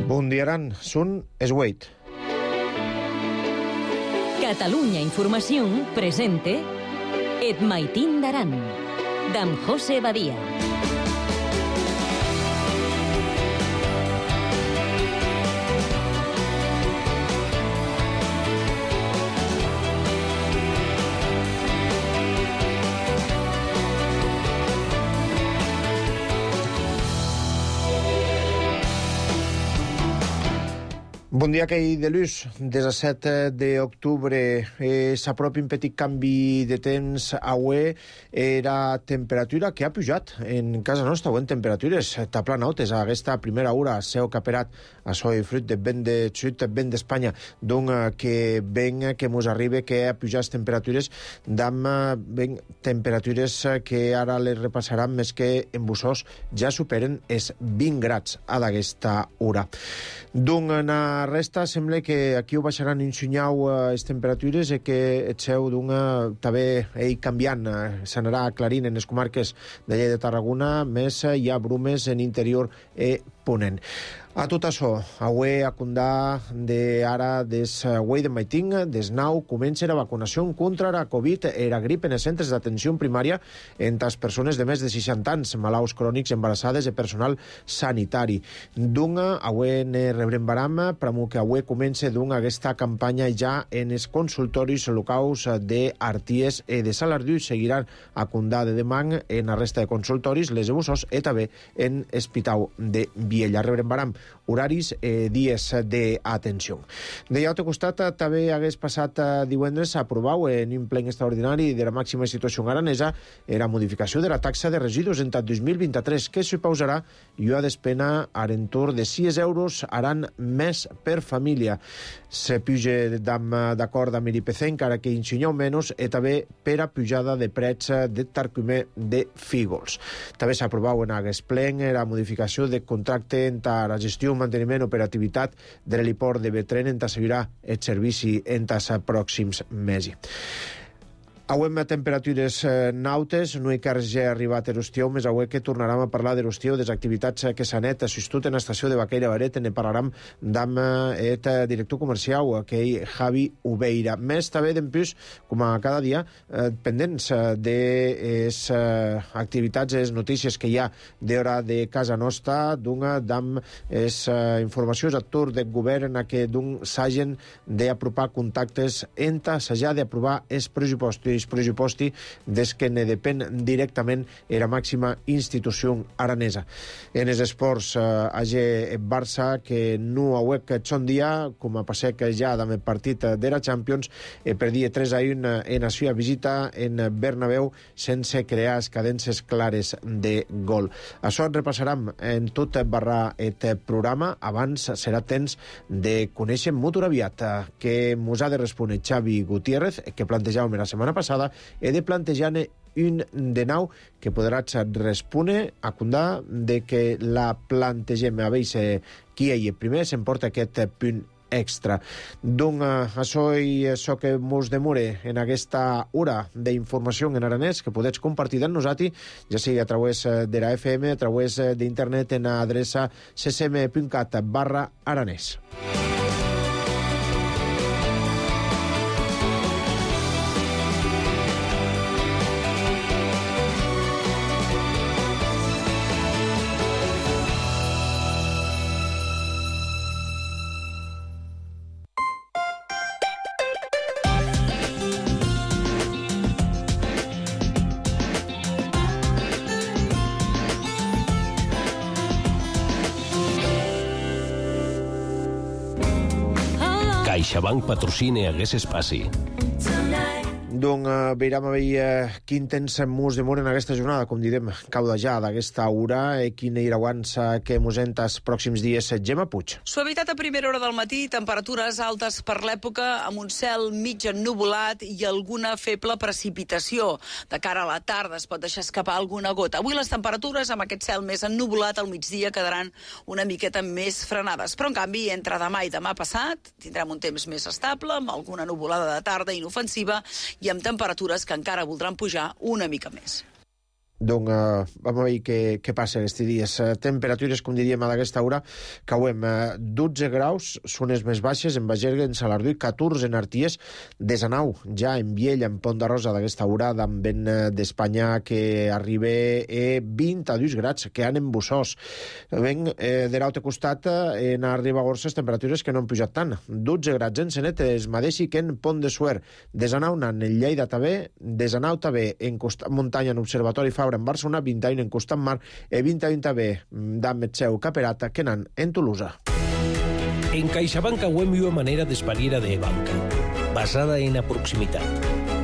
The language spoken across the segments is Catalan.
Bundiaran sun Esweit. Catalunya Información presente Et Maitín d'Aran, d'en José Badia. Bon dia, aquell de l'ús. Des del 7 d'octubre s'apropi un petit canvi de temps avui. Era temperatura que ha pujat en casa nostra, en temperatures taplanautes. Aquesta primera hora s'ha caperat a soi fruit de vent de sud, vent d'Espanya, doncs que ven que mos arriba que ha pujat temperatures d'amb temperatures que ara les repassaran més que en Bussós ja superen els 20 grads a d'aquesta hora. Doncs en la resta sembla que aquí ho baixaran un xunyau les temperatures i que el seu també canviant, s'anarà aclarint en les comarques de Lleida de Tarragona, més hi ha brumes en interior i ponent. A tot això, avui a Condà d'ara des avui de maitín, des 9, comença la vacunació contra la Covid i la grip en els centres d'atenció primària entre les persones de més de 60 anys, malalts crònics, embarassades i personal sanitari. Doncs avui ne rebrem baram, però que avui comença aquesta campanya ja en els consultoris locals d'Arties i de Salardú. Seguiran a Condà de demà en la resta de consultoris, les de Bussós i també en Espitau de Viella. Rebrem baram horaris i dies d'atenció. De l'altre costat, també hagués passat divendres a aprovar en un ple extraordinari de la màxima institució aranesa la modificació de la taxa de residus en 2023, que suposarà una despesa a l'entorn de 6 euros aran més per família. Se puja d'acord amb l'IPC, encara que insinyeu menys, i també per a pujada de preus de tarcumer de fígols. També s'ha aprovat en aquest ple la modificació de contracte entre la gestió, manteniment i operativitat de l'heliport de Betren en assegurar el servici en els pròxims mesos. Avui amb temperatures nautes, no hi car ja arribat a l'Ostió, més avui que tornarem a parlar de l'Ostió, des activitats que s'han assistit en l'estació de Baqueira Baret, ne parlarem amb el director comercial, que és Javi Ubeira. Més també d'empús, com a cada dia, pendents de les activitats, les notícies que hi ha d'hora de casa nostra, amb les informacions a tur del govern que s'hagin d'apropar contactes entre s'hagi d'aprovar els pressuposti des que ne depèn directament la màxima institució aranesa. En els esports, Barça, que no ha que són dia, com a passec ja amb el partit de la Champions, perdia 3-1 en la seva visita en Bernabéu sense crear cadències clares de gol. Això en repassarem en tot barra el programa. Abans serà temps de conèixer molt aviat que mos ha de respondre Xavi Gutiérrez, que plantejàvem la setmana passada, he de plantejar un de nou que podrà respondre a Condà de que la plantegem a veure qui hi primer s'emporta aquest punt extra. Doncs això i això que mos demore en aquesta hora d'informació en aranès que podeu compartir amb nosaltres, ja sigui a través de la FM, a través d'internet en adreça ccm.cat/aranès. CaixaBank patrocina aquest espai. Doncs veurem a veure quin temps mos demora en aquesta jornada, com direm, cauda ja d'aquesta hora, i quina iraguança que mos enta els pròxims dies. Gemma Puig. Suavitat a primera hora del matí, temperatures altes per l'època, amb un cel mig ennuvolat i alguna feble precipitació. De cara a la tarda es pot deixar escapar alguna gota. Avui les temperatures, amb aquest cel més ennuvolat, al migdia quedaran una miqueta més frenades. Però, en canvi, entre demà i demà passat, tindrem un temps més estable, amb alguna nuvolada de tarda inofensiva i amb temperatures que encara voldran pujar una mica més. Donc, vam a veure què passa aquests dies. Temperatures, com diríem a aquesta hora, cauem 12 graus, són les més baixes, en Bagergue, en Salardú, 14 en Arties, 19 ja en Viella, en Pont de Rosa d'aquesta hora, amb vent d'Espanya que arriba a 22 grads, que han en Bussós. Ben, de l'altre costat, en Ribagorça, temperatures que no han pujat tant. 12 grads en Senet, es mateixi que en Pont de Suert. 19 en Lleida també, 19 també en Costat Muntanya, en Observatori Fabra, en Barcelona, 21 en Costat Mar, i 21 també d'Ametzeu Caperata, que n'han en Tolosa. En CaixaBank auem una manera d'espariera de banca, basada en la proximitat,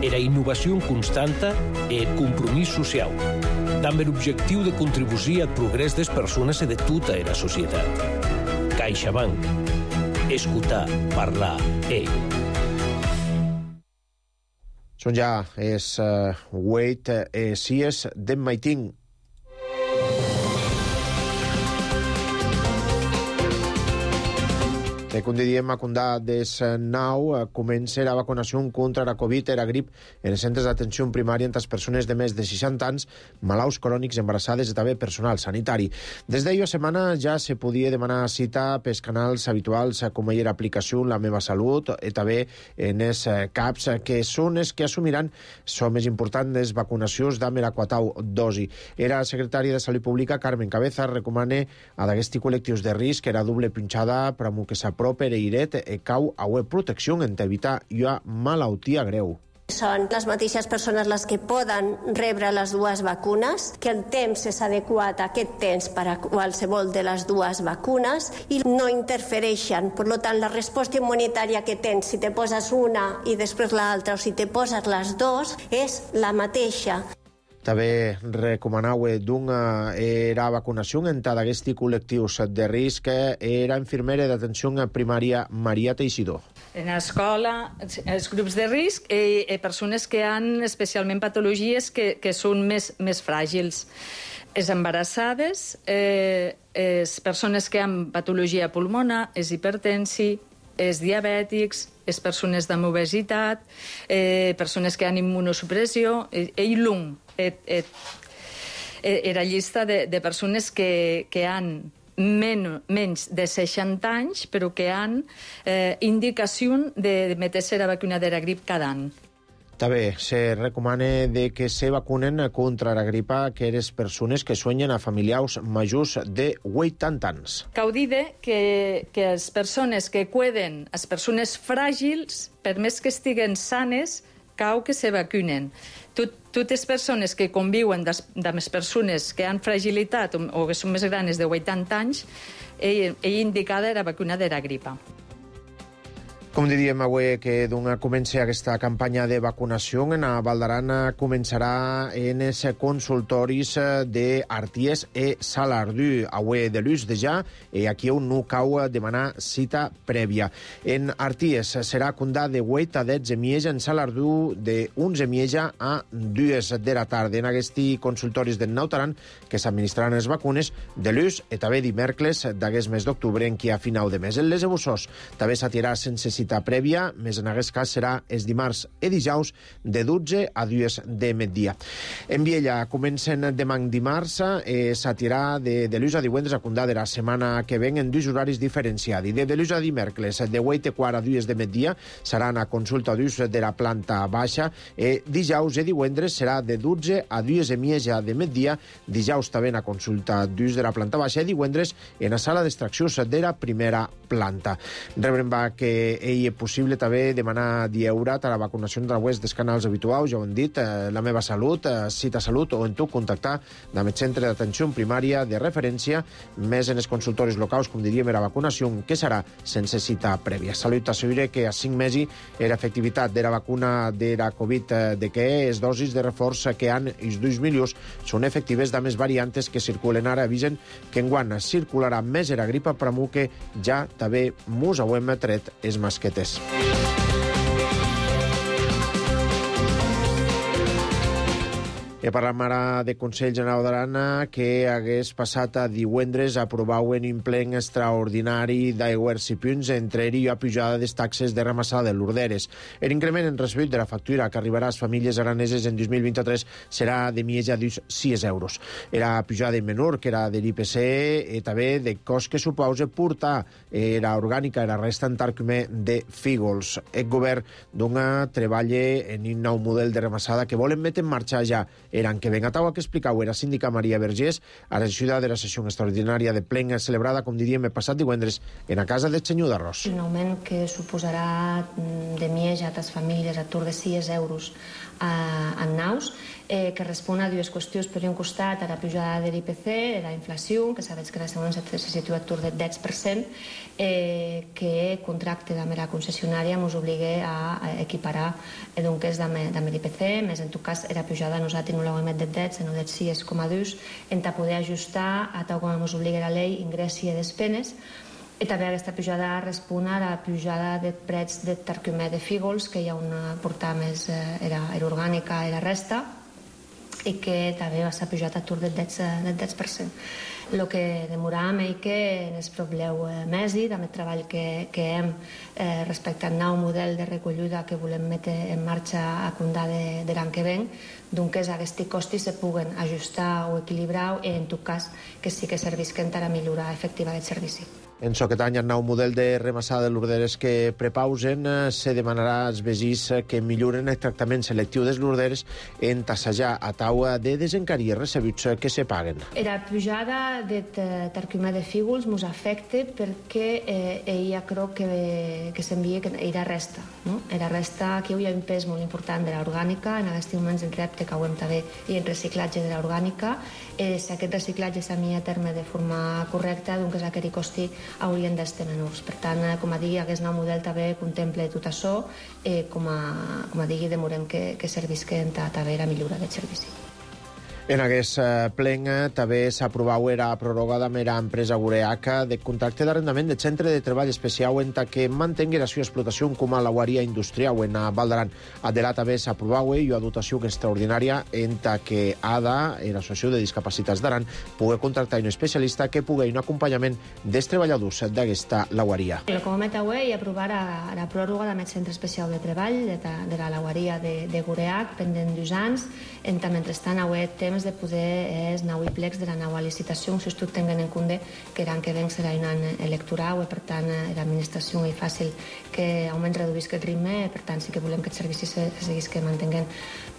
era innovació constanta e compromís social, amb l'objectiu de contribuir al progrés des persones i de tota la societat. CaixaBank. Escoltar, parlar, Són ja els 8 sies d'en Maitín. Com diem, a Condà des 9 comença la vacunació contra la Covid i la grip en els centres d'atenció primària entre les persones de més de 60 anys, malalts crònics, embarassades i també personal sanitari. Des d'ahir setmana ja se podia demanar cita pels canals habituals com era aplicació La Meva Salut i també en els CAPs, que són els que assumiran la més important les vacunacions amb l'aquatau dosi. Era la secretària de Salut Pública, Carmen Cabeza, recomana a d'aquests col·lectius de risc era doble pinxada per a que s'apropi per eiret e cau a web protecció en evitar una malaltia greu. Són les mateixes persones les que poden rebre les dues vacunes, que el temps és adequat a aquest temps per a qualsevol de les dues vacunes i no interfereixen. Per tant, la resposta immunitària que tens si te poses una i després l'altra o si te poses les dues és la mateixa. També recomanau era vacunació en d'aquests col·lectius de risc era infermera d'atenció primària Maria Teixidor. En l'escola, els grups de risc i persones que han especialment patologies que són més fràgils. Les embarassades, les persones que han patologia pulmonar, els hipertensi, els diabètics, les persones amb obesitat, persones que han immunosupressió, i l'UM. Era llista de persones que han menys de 60 anys, però que han indicació de meter-se la vacuna de la grip cada any. També se recomana que se vacunen contra la gripa aquelles persones que suenyen a familiars majors de 80 anys. Cal dir que les persones que cuiden, les persones fràgils, per més que estiguen sanes, cal que se vacunen. Totes les persones que conviuen amb les persones que han fragilitat o que són més grans de 80 anys, indicada la vacuna de la gripa. Com diríem avui que comença aquesta campanya de vacunació, en Val d'Aran començarà en els consultoris d'Arties i Salardú. Avui de l'ús de ja, aquí on no cau demanar cita prèvia. En Arties serà Condà de 8 a 10 de mieja, en Salardú de 11 de mieja a 2 de la tarda. En aquests consultoris de Nautaran que s'administraran les vacunes de l'ús i també dimecres d'aquest mes d'octubre en qui a final de mes. En les de Bussós també s'atirà sense cita prèvia, més en aquest cas serà els dimarts i dijous de 12 a 2 de migdia. En Viella comencen demà dimarts, s'atirà de l'ús a divendres a Condà de la setmana que ven en dos horaris diferenciats. De l'ús a dimecres de 8 i quart a 2 de migdia seran a consulta d'ús de la planta baixa, dijous i divendres serà de 12 a 2 de mieja de migdia, dijous també a consulta d'ús de la planta baixa i divendres en la sala d'extraccions de la primera planta. Rebrem que és possible també demanar dieurat a la vacunació a través dels canals habituals, ja ho hem dit, La Meva Salut, Cita Salut, o en tu contactar amb el centre d'atenció primària de referència, més en els consultoris locals, com diríem, la vacunació, que serà sense cita prèvia. Salut assegura que a 5 mesos era efectivitat de la vacuna de la Covid, de que les dosis de reforç que han els 2 milions són efectives de més variantes que circulen ara. Avisen que enguany circularà més la gripa, però que ja també mos ho hem tret els masquetes. Parlam ara de Consell General d'Aran que hagués passat a divendres aprovauen un plen extraordinari d'aigües i punts, entre ell i la pujada de taxes de ramassada de l'Urderes. L'increment en recebut de la factura que arribarà a les famílies araneses en 2023 serà de mitja d'uns 6 euros. Era pujada menor que era de l'IPC i també de cost que suposa portar la orgànica i la resta en tarcumer de Fígols. El govern dona treballa en un nou model de ramassada que volen metre en marxa ja l'any que ven. A taula que explicau era síndica Maria Vergés a la ciutat de la sessió extraordinària de plen celebrada, com diríem, el passat divendres en la casa del senyor d'Arròs. Un augment que suposarà de mitja a les famílies a tour de 6 euros en naus, que respon a dues qüestions. Per un costat, a la pujada de l'IPC, la inflació, que sabeu que la segona se situa a tour del 10%, que el contracte amb la concessionària ens obliga a equiparar doncs amb l'IPC, més en tot cas la pujada nosaltres no l'haguem del 10, sinó del 6,2, en poder ajustar a tal com ens obliga la llei ingressi i despenes. I també aquesta pujada respon a la pujada de preus de tarcumer de Fígols, que hi ha una portada més era orgànica i la resta, i que també va ser pujat a tour del 10%. El que demoràvem és que en el probleu mesi, amb el treball que hem respecte al nou model de recollida que volem metre en marxa a comptar de l'any que ven, doncs aquests costos se puguen ajustar o equilibrar i en tot cas que sí que servisquen per a millorar efectiva del servici. En aquest any, el nou model de remassada de l'Urderes que prepausen se demanarà als veïns que milloren el tractament selectiu dels l'Urderes en tassejar a taula de desencarir recebuts que se paguen. La pujada de tarcumer de Fígols ens afecta perquè ella creu que s'envia la resta. La resta, aquí hi ha un pes molt important de l'orgànica, en aquests moments en repte que hem també i en reciclatge de l'orgànica. Si aquest reciclatge s'ha a terme de forma correcta, doncs aquest costi haurien d'estar menors. Per tant, com a digui, aquest nou model també contempla tot això, com a digui, demorem que servisquen també la millora del servici. En aquest plen també s'aprovava la prorrogada amb l'empresa Gureaca de contracte d'arrendament de centre de treball especial en que mantengui la seva explotació com a lauaria industrial en Val d'Aran. Adelà també s'aprovava una dotació extraordinària en que ADA, l'Associació de Discapacitats d'Aran, pugui contractar un especialista que pugui un acompanyament dels treballadors d'aquesta lauaria. El Comet avui aprovar la pròrroga d'aquest centre especial de treball de la lauaria de Gureac pendent d'2 anys. Mentrestant, avui temps de poder anar a plecs de la nova licitació, si tot tinguin en compte que l'any que ven serà un any electoral i per tant l'administració és fàcil que almenys reduïsca el ritme, per tant sí que volem que el servici se seguís que mantinguin.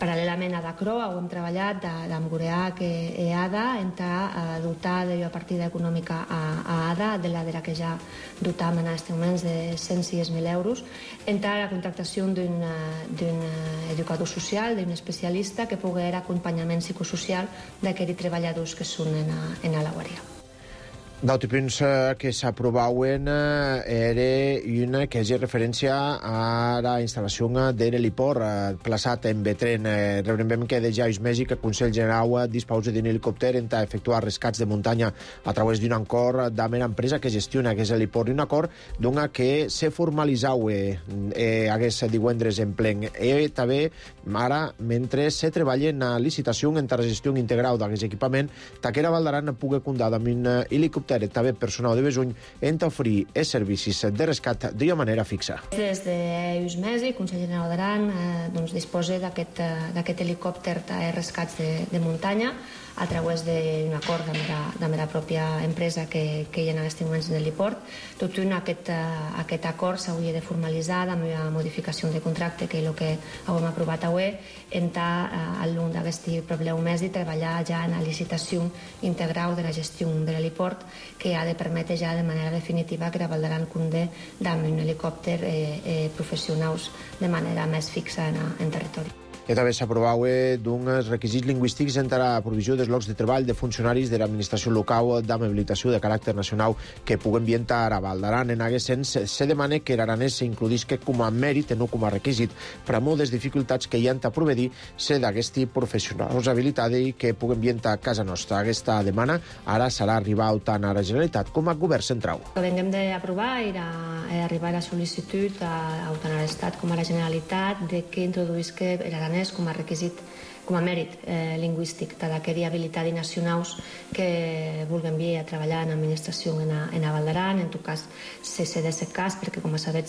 Paral·lelament a DACRO hem treballat amb Gureac i ADA en dotar de la partida econòmica a ADA de la que ja dotam en aquests moments de 106.000 euros en la contractació d'un educador social, d'un especialista que pugui dar acompanyament psicosocial d'aquells treballadors que són en la lauaria. D'altres punts que s'aprovaven era una que és referència a la instal·lació de l'heliport plaçat en Betren. Recordem que ja és Mèxic el Consell General disposa d'un helicòpter en efectuar rescats de muntanya a través d'un acord amb l'empresa que gestiona aquest heliport. Un acord que se formalitzava aquest divendres en plen. I també ara, mentre se treballa en la licitació en la gestió integral d'aquest equipament, Taquera Val d'Aran pugui comptar amb un helicòpter també personal de Besuny en oferir els servicis de rescat d'una manera fixa. Des d'uns mesos, el Consell General d'Aran disposa d'aquest helicòpter de rescats de muntanya a través d'un acord amb la pròpia empresa que hi ha en aquests moments en l'heliport. Tot aquest acord s'hauria de formalitzar amb una modificació de contracte, que és el que hem aprovat avui, al llarg d'aquest problema mes i treballar ja en la licitació integral de la gestió de l'heliport, que ha de permetre ja de manera definitiva que la Val d'Aran compte amb un helicòpter professionals de manera més fixa en territori. que també s'aprovava d'uns requisits lingüístics entre la provisió dels llocs de treball de funcionaris de l'administració local d'habilitació de caràcter nacional que puguen ambientar a Val d'Aran. En aquest sens, se demana que l'aranès s'includisca com a mèrit i no com a requisit per a moltes dificultats que hi ha a proveir ser d'aquest professionals habilitats i que puguen ambientar a casa nostra. Aquesta demana ara serà arribar tant a la Generalitat com al Govern Central. Venguem d'aprovar i arribar a la sol·licitud tant a l'Estat com a la Generalitat de que introduïsca l'aranès com a requisit com a mèrit lingüístic d'aquella habilitat i nacionals que vulguem vir a treballar en administració en Valdaran. En tot cas, se cedeix el cas, perquè, com sabeu,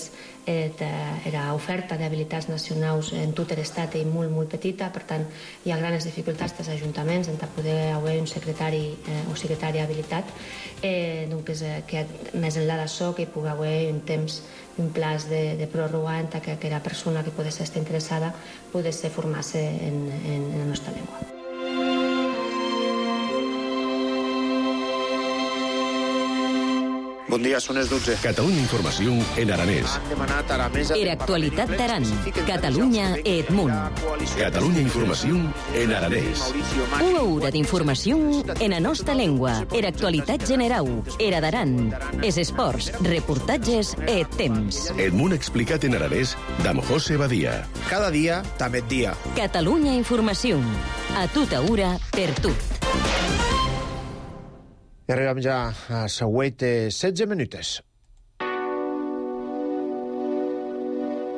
era oferta d'habilitats nacionals en tot l'estat i molt, molt petita, per tant, hi ha grans dificultats dels ajuntaments en poder haver un secretari o secretària habilitat, doncs que més enllà d'això que hi pugui haver un temps, un plaç de pròrroga en que aquella persona que pot estar interessada pogués formar-se en la nostra llengua. Bon dia, són les 12. Catalunya Informació en aranès. Era actualitat d'Aran. Catalunya et Munt. Catalunya Informació en aranès. Una hora d'informació en la nostra llengua. Era actualitat general. Era d'Aran. Es esports, reportatges et temps. Et Munt explicat en aranès d'Am José Badia. Cada dia, també dia. Catalunya Informació. A tota hora, per tot. I arribem ja a següent 16 minutes.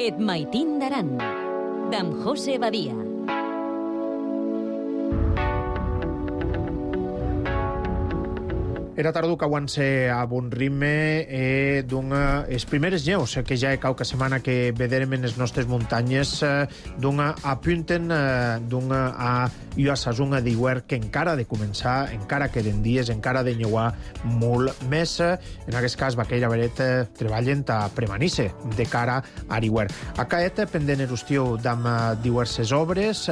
Et Maitín d'Aran, d'Am José Badia. Era tardu que avance a bon ritme les primeres neus que ja cau que setmana que vederem en les nostres muntanyes apunten a la saison d'hivern que encara ha de començar, encara queden dies, encara ha de neuar molt més. En aquest cas, Baqueira Beret treballen a premanir-se de cara a l'hivern. Aquest, pendent en estiu d'am diverses obres,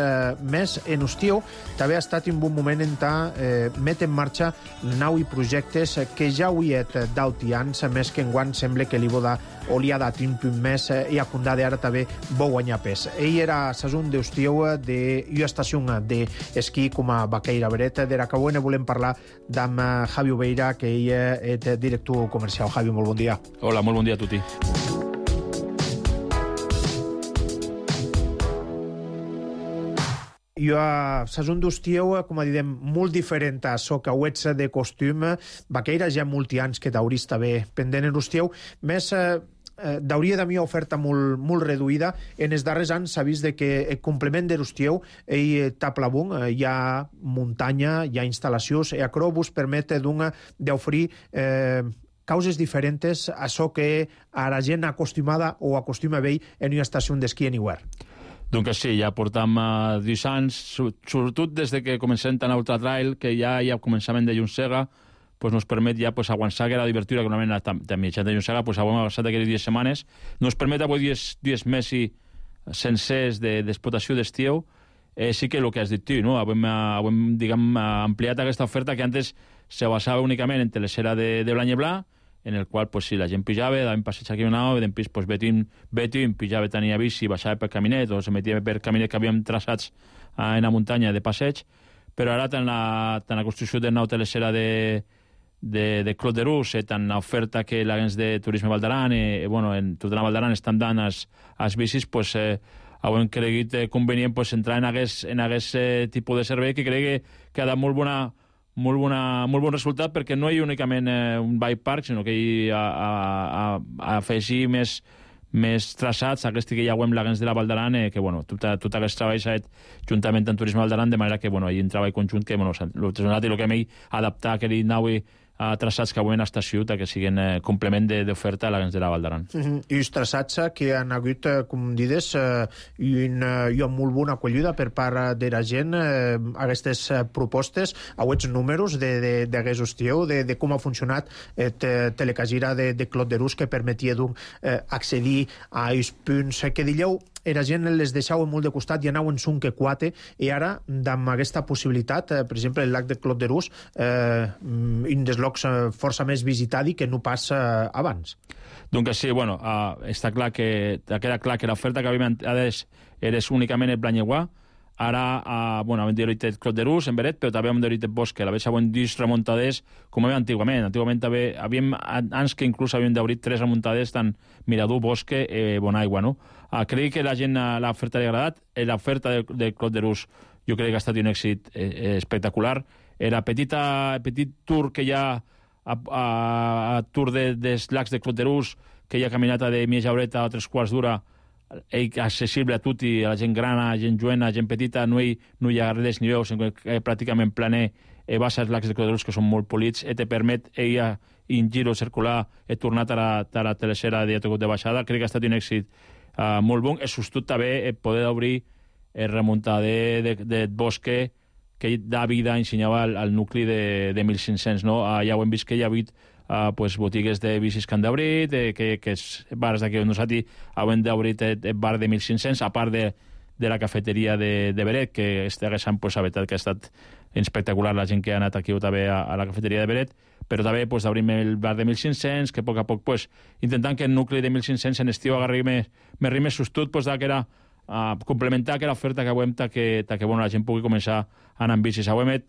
més en estiu també ha estat un bon moment en met en marxa nau i projectes que ja ho hi ha d'altians, més que enguany sembla que li li ha dat un punt més i a condar ara també vol guanyar pes. Ell era saison d'estiu de estació d'esquí com a Baqueira Beret. D'era que avui volem parlar d'am Javi Obeira, que ell és director comercial. Javi, molt bon dia. Hola, molt bon dia a tutti. I a saison d'estiu, com diem, molt diferent a això que ho ets de costum. Baqueira ja molts anys que t'hauries també pendent en estiu, més d'hauria de mi oferta molt reduïda. En els darrers anys s'ha vist que el complement de l'estiu taplabung, hi ha muntanya, hi ha instal·lacions, i això vos permet d'oferir causes diferents a això que a la gent acostumada o acostuma a veure en una estació d'esquí en hivern. Doncs sí, ja portam 10 anys, sobretot des que comencem tant a Ultratrail, que ja hi ha començament de Llungsega, pues nos permet ja avançar que la divertida, que normalment de mitjan de Llungsega, pues hem avançat aquelles 10 setmanes, nos permet avui 10 mesos sencers d'explotació d'estiu. Sí que el que has dit tu, no? Hem diguem, ampliat aquesta oferta que antes se basava únicament en telesera de Blanyeblà, en el qual, pues, si la gent pujava, daven passeig aquí una hora, després, pues, Betim pujava, tenia bici, baixava per caminet, o se metia per caminet que havíem traçats en la muntanya de passeig, però ara tant la construcció de nau telesera de Clot de Rus, tant l'oferta que l'agents de Turisme Valdaran, bueno, en tota la Valdaran estan dant als bicis, pues, hem cregut convenient pues, entrar en aquest tipus de servei que crec que ha dat molt bon resultat, perquè no hi ha únicament un bike park, sinó que hi ha afegir més traçats, aquest que ja ho hem l'agents de la Valdaran, que bueno, tot aquest treball s'ha fet juntament amb Turisme Valdaran, de manera que bueno, hi ha un treball conjunt que bueno, el que hem adaptat aquell nau a traçats que avui en estació que siguin complement d'oferta a l'agents de la Valdaran. I els traçats que han hagut, com dides, hi ha molt bona acollida per part de la gent aquestes propostes, aquests números d'aquest estiu, de com ha funcionat Telecagira de Clot de Rus, que permetia accedir a aquests punts que dieu. La gent les deixava molt de costat i anaven un que quatre, i ara, amb aquesta possibilitat, per exemple, el lac de Clot de Rus, un dels llocs força més visitat i que no passa abans. Donc sí, bueno, està clar que queda clar que l'oferta que havíem era únicament el Blanyeguà. Ara, bueno, hem d'horitat el Clot de Rus, en Beret, però també hem d'horitat el Bosque. La vegada següent 10 remuntades, com hi havia antigament. Antigament també havíem anys que inclús havíem d'horitat 3 remuntades, tant Mirador, Bosque, Bonaigua, no? Crec que la gent l'oferta li ha agradat. L'oferta del Clot de Rus jo crec que ha estat un èxit espectacular. Era petit tour que hi ha a tour dels lacs de Clot de Rus, que hi ha caminata de mitja horeta a 3 quarts d'hora accessible a tutti, a la gent grana, a la gent jovent, a la gent petita, no hi ha res ni veus, pràcticament planer, baixa els lacs de Codorús que són molt polits, te permet in giro circular, tornat a la tercera de baixada. Crec que ha estat un èxit molt bon. És sostot també poder obrir remuntar de bosque que da vida ensenyava al nucli de 1.500, no? Ja ho hem vist que hi ha hagut botigues de bicis que han d'obrir, que bars d'aquí on nosaltres han d'obrir el bar de 1.500, a part de la cafeteria de Beret, que haguessin, la veritat que ha estat espectacular la gent que ha anat aquí també a la cafeteria de Beret, però també d'obrir el bar de 1.500, que a poc a poc intentant que el nucli de 1.500 en estiu agarri més sostut, que era complementar aquella oferta que avui que la gent pugui començar a anar amb bicis. Avui hem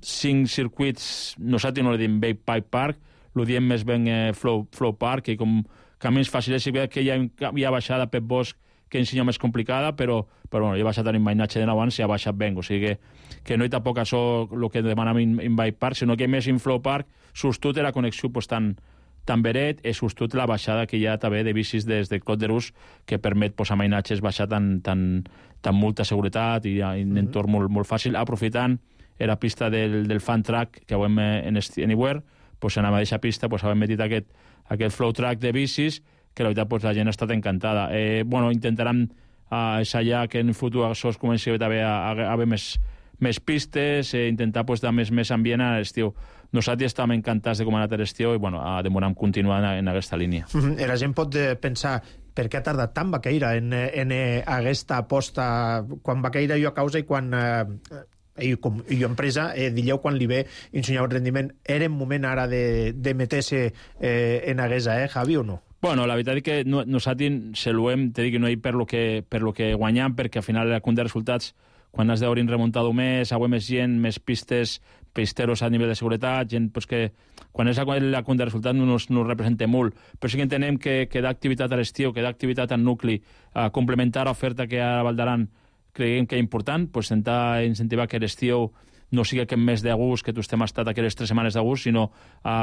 5 circuits, nosaltres no li diem Bike Park, ho diem més ben Flow Park, i com camins fàcils, que hi ha baixada per bosc que ensenya més complicada, però hi ha baixat en mainatge de abans i ha baixat ben, o sigui que no hi tampoc això el que demanam en Bike Park, sinó que més en Flow Park sostut la connexió tan Beret, és sostut la baixada que hi ha també de bicis des de Clot de Rus, que permet a mainatges baixar tan molta seguretat i un entorn molt fàcil, aprofitant la pista del fan track que avem en Anywhere, en la mateixa pista hem metit aquest flow track de bicis, que la veritat la gent ha estat encantada. Intentaran ensaiar que en el futur això es comenci a haver més pistes, intentar dar més ambient a l'estiu. Nosaltres estem encantats de com ha anat l'estiu i demorem continuar en aquesta línia. La gent pot pensar per què ha tardat tant Baqueira en aquesta aposta, quan Baqueira jo a causa i quan jo empresa, dieu quan li ve ensenyar el rendiment, era un moment ara de meter-se en aguesa, Javi, o no? Bueno, la veritat és que nosaltres saluem, t'he dit que no hi per lo que guanyam, perquè al final la compte de resultats, quan has d'obrir remuntat més, agua més gent, més pistes, pisteros a nivell de seguretat, gent que quan és la compte de resultats no ens representa molt, però sí que entenem que d'activitat a l'estiu, que d'activitat al nucli, complementar l'oferta que hi ha a Val d'Aran, creiem que és important, intentar incentivar que l'estiu no sigui que més d'agust, que tu estem estat aquelles 3 setmanes d'agust, sinó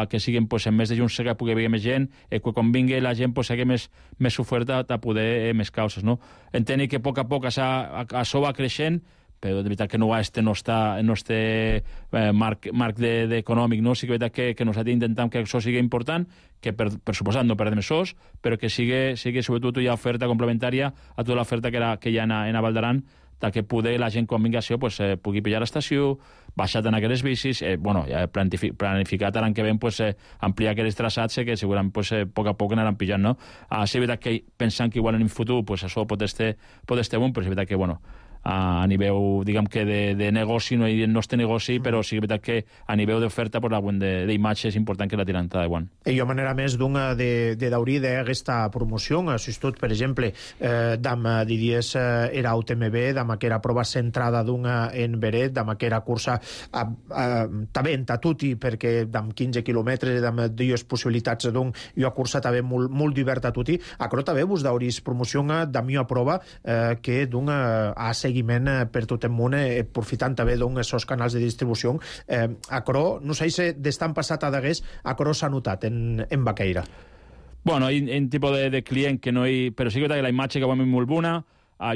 que siguin en més de junts que pugui haver més gent, que quan vingui la gent sigui més oferta a poder més causes. Entenc que a poc a poc això va creixent, però de veritat que no està marc econòmic, no? Sí que és veritat que nosaltres intentem que això sigui important, que per suposat no perdem sos, però que sigui sobretot hi ha oferta complementària a tota l'oferta que hi ha a Val d'Aran, que poder la gent quan vingui a això pugui pillar l'estació, baixar en aquelles bicis, planificat l'any que ve ampliar aquells traçats que segurament a poc a poc anaran pillant, no? És veritat que pensant que igual en el futur això pot estar bon, però és veritat que a nivell, diguem que de negoci no és negoci, però sí que a nivell d'oferta d'imatge és important que la tiran de guant. Hi ha manera més d'obrir d'aquesta promoció, tot, per exemple, d'am diries era UTMB, d'am que era prova centrada en Beret, d'am que era cursa també en Tatuti, perquè d'am 15 quilòmetres, d'am dues possibilitats d'un, i una cursa també molt diversa a Tatuti, però també vos d'obrir promoció d'am a prova que d'un a seguiment per tot el món, aprofitant també d'aquests canals de distribució. Acro, no sé si d'estan passat a d'hagués, acro s'ha notat en Baqueira. Bueno, hi ha un tipus de client que no hi... Però sí que la imatge que vam és molt bona.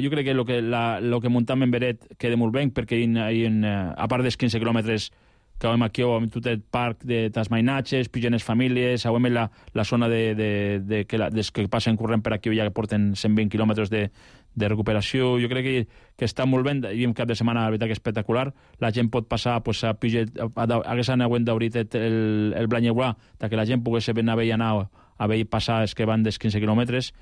Jo crec que el que muntam en Beret queda molt bé, perquè a part dels 15 quilòmetres que vam aquí, amb tot el parc de tasmainatges, pigenes famílies, avui la zona des que passen corrent per aquí ja que porten 120 quilòmetres de recuperació. Jo crec que està molt bé, i un cap de setmana la veritat que és espectacular. La gent pot passar a Piget, hagués anat d'obrir el Blanyeguà, que la gent pogués ben haver anar a veure passar els que van dels 15 quilòmetres.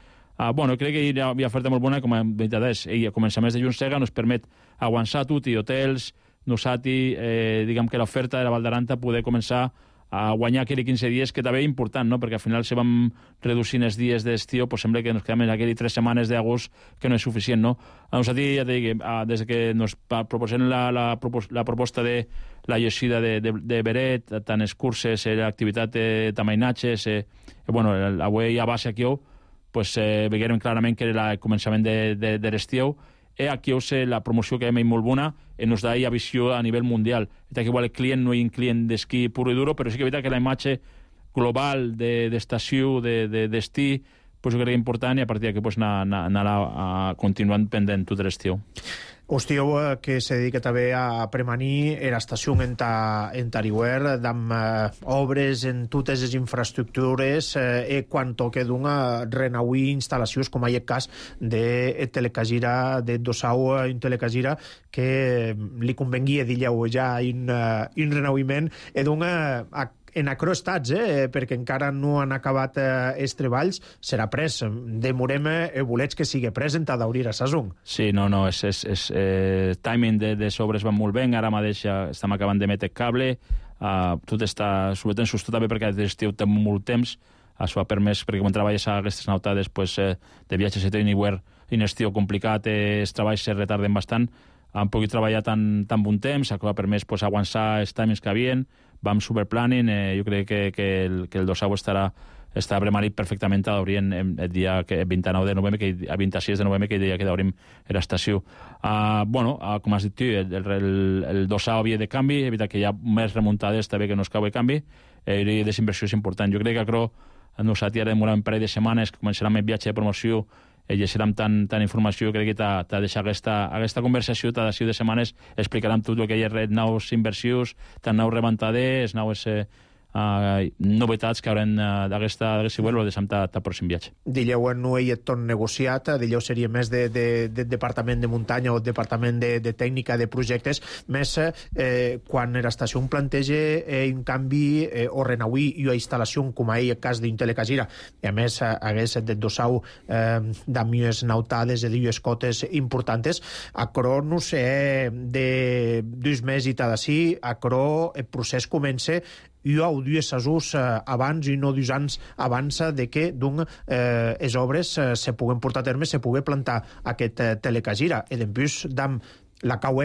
Bueno, crec que hi ha oferta molt bona, com a veritat és, i a començaments de Juntsega nos permet aguançar tot i hotels, nosaltres, diguem que l'oferta de la Val d'Aran poder començar a guanyar aquells 15 dies, que també és important, no? Perquè al final si vam reducint els dies d'estiu, sembla que ens quedem aquelles 3 setmanes d'agost, que no és suficient, no? A nosaltres, ja dic, des que ens proposem la proposta de la llegida de Beret, tant les curses, l'activitat de tamainatges, bueno, avui a base aquí, veiem clarament que era el començament de l'estiu, aquí la promoció que hem molt bona ens da ja visió a nivell mundial. Que igual el client no és un client d'esquí puro i duro, però sí que és veritat que la imatge global d'estació, d'estí, jo crec que important, i a partir d'aquí anar continuant pendent tot l'estiu. Hostiu, que se dedica també a premanir era estació en Tarihuer, amb obres en totes les infraestructures, quan toque d'una renauir instal·lacions, com hi ha el cas de Telecasira, de Dosau en Telecasira, que li convenguia, digueu, ja un renauiment, d'una en acroestats, perquè encara no han acabat els treballs, serà pres. Demorem bolets que sigui present a d'obrir a Sasung. Sí, no, és timing de sobres van molt bé, ara mateix estem acabant de metre cable, tot està sobretot sustot també perquè l'estiu té molt temps, això ha permès, perquè quan treballes a aquestes nautades de viatges a Teniware, en estiu complicat, els treballs se retarden bastant, han pogut treballar tan bon temps, això ha permès aguançar els timings que havien, vam superplanning, jo crec que el Dosau estarà premanit perfectament a d'obrir el dia 29 de novembre, a 26 de novembre, que el dia que d'obrim l'estació. Com has dit tu, el Dosau havia de canvi, és veritat que hi ha més remuntades també que no es cau de canvi, i desinversió és important. Jo crec que Acro nosaltres ja demorar un parell de setmanes que començarem el viatge de promoció i llegirem tant informació, crec que t'ha de deixar aquesta conversació, t'ha de 6 de setmanes, explicarem tot el que hi ha nous inversions, tant nous rebantaders, nous novetats que haurem d'aquesta web, o deixem el pròxim viatge. Dilleu no hi ha tot negociat, dilleu seria més de departament de muntanya o departament de tècnica de projectes, més quan l'estació planteja un canvi o renauir i una instal·lació com ahir el cas d'Intelecasira, i a més hagués de Dosau d'amies nautades i dues cotes importants, Acro no sé de 2 mesos i tal d'ací, Acro el procés comença i ho dues asús abans i no 2 anys abans de que les obres se puguen portar a terme, se puguen plantar aquest Telecasira. I després la cau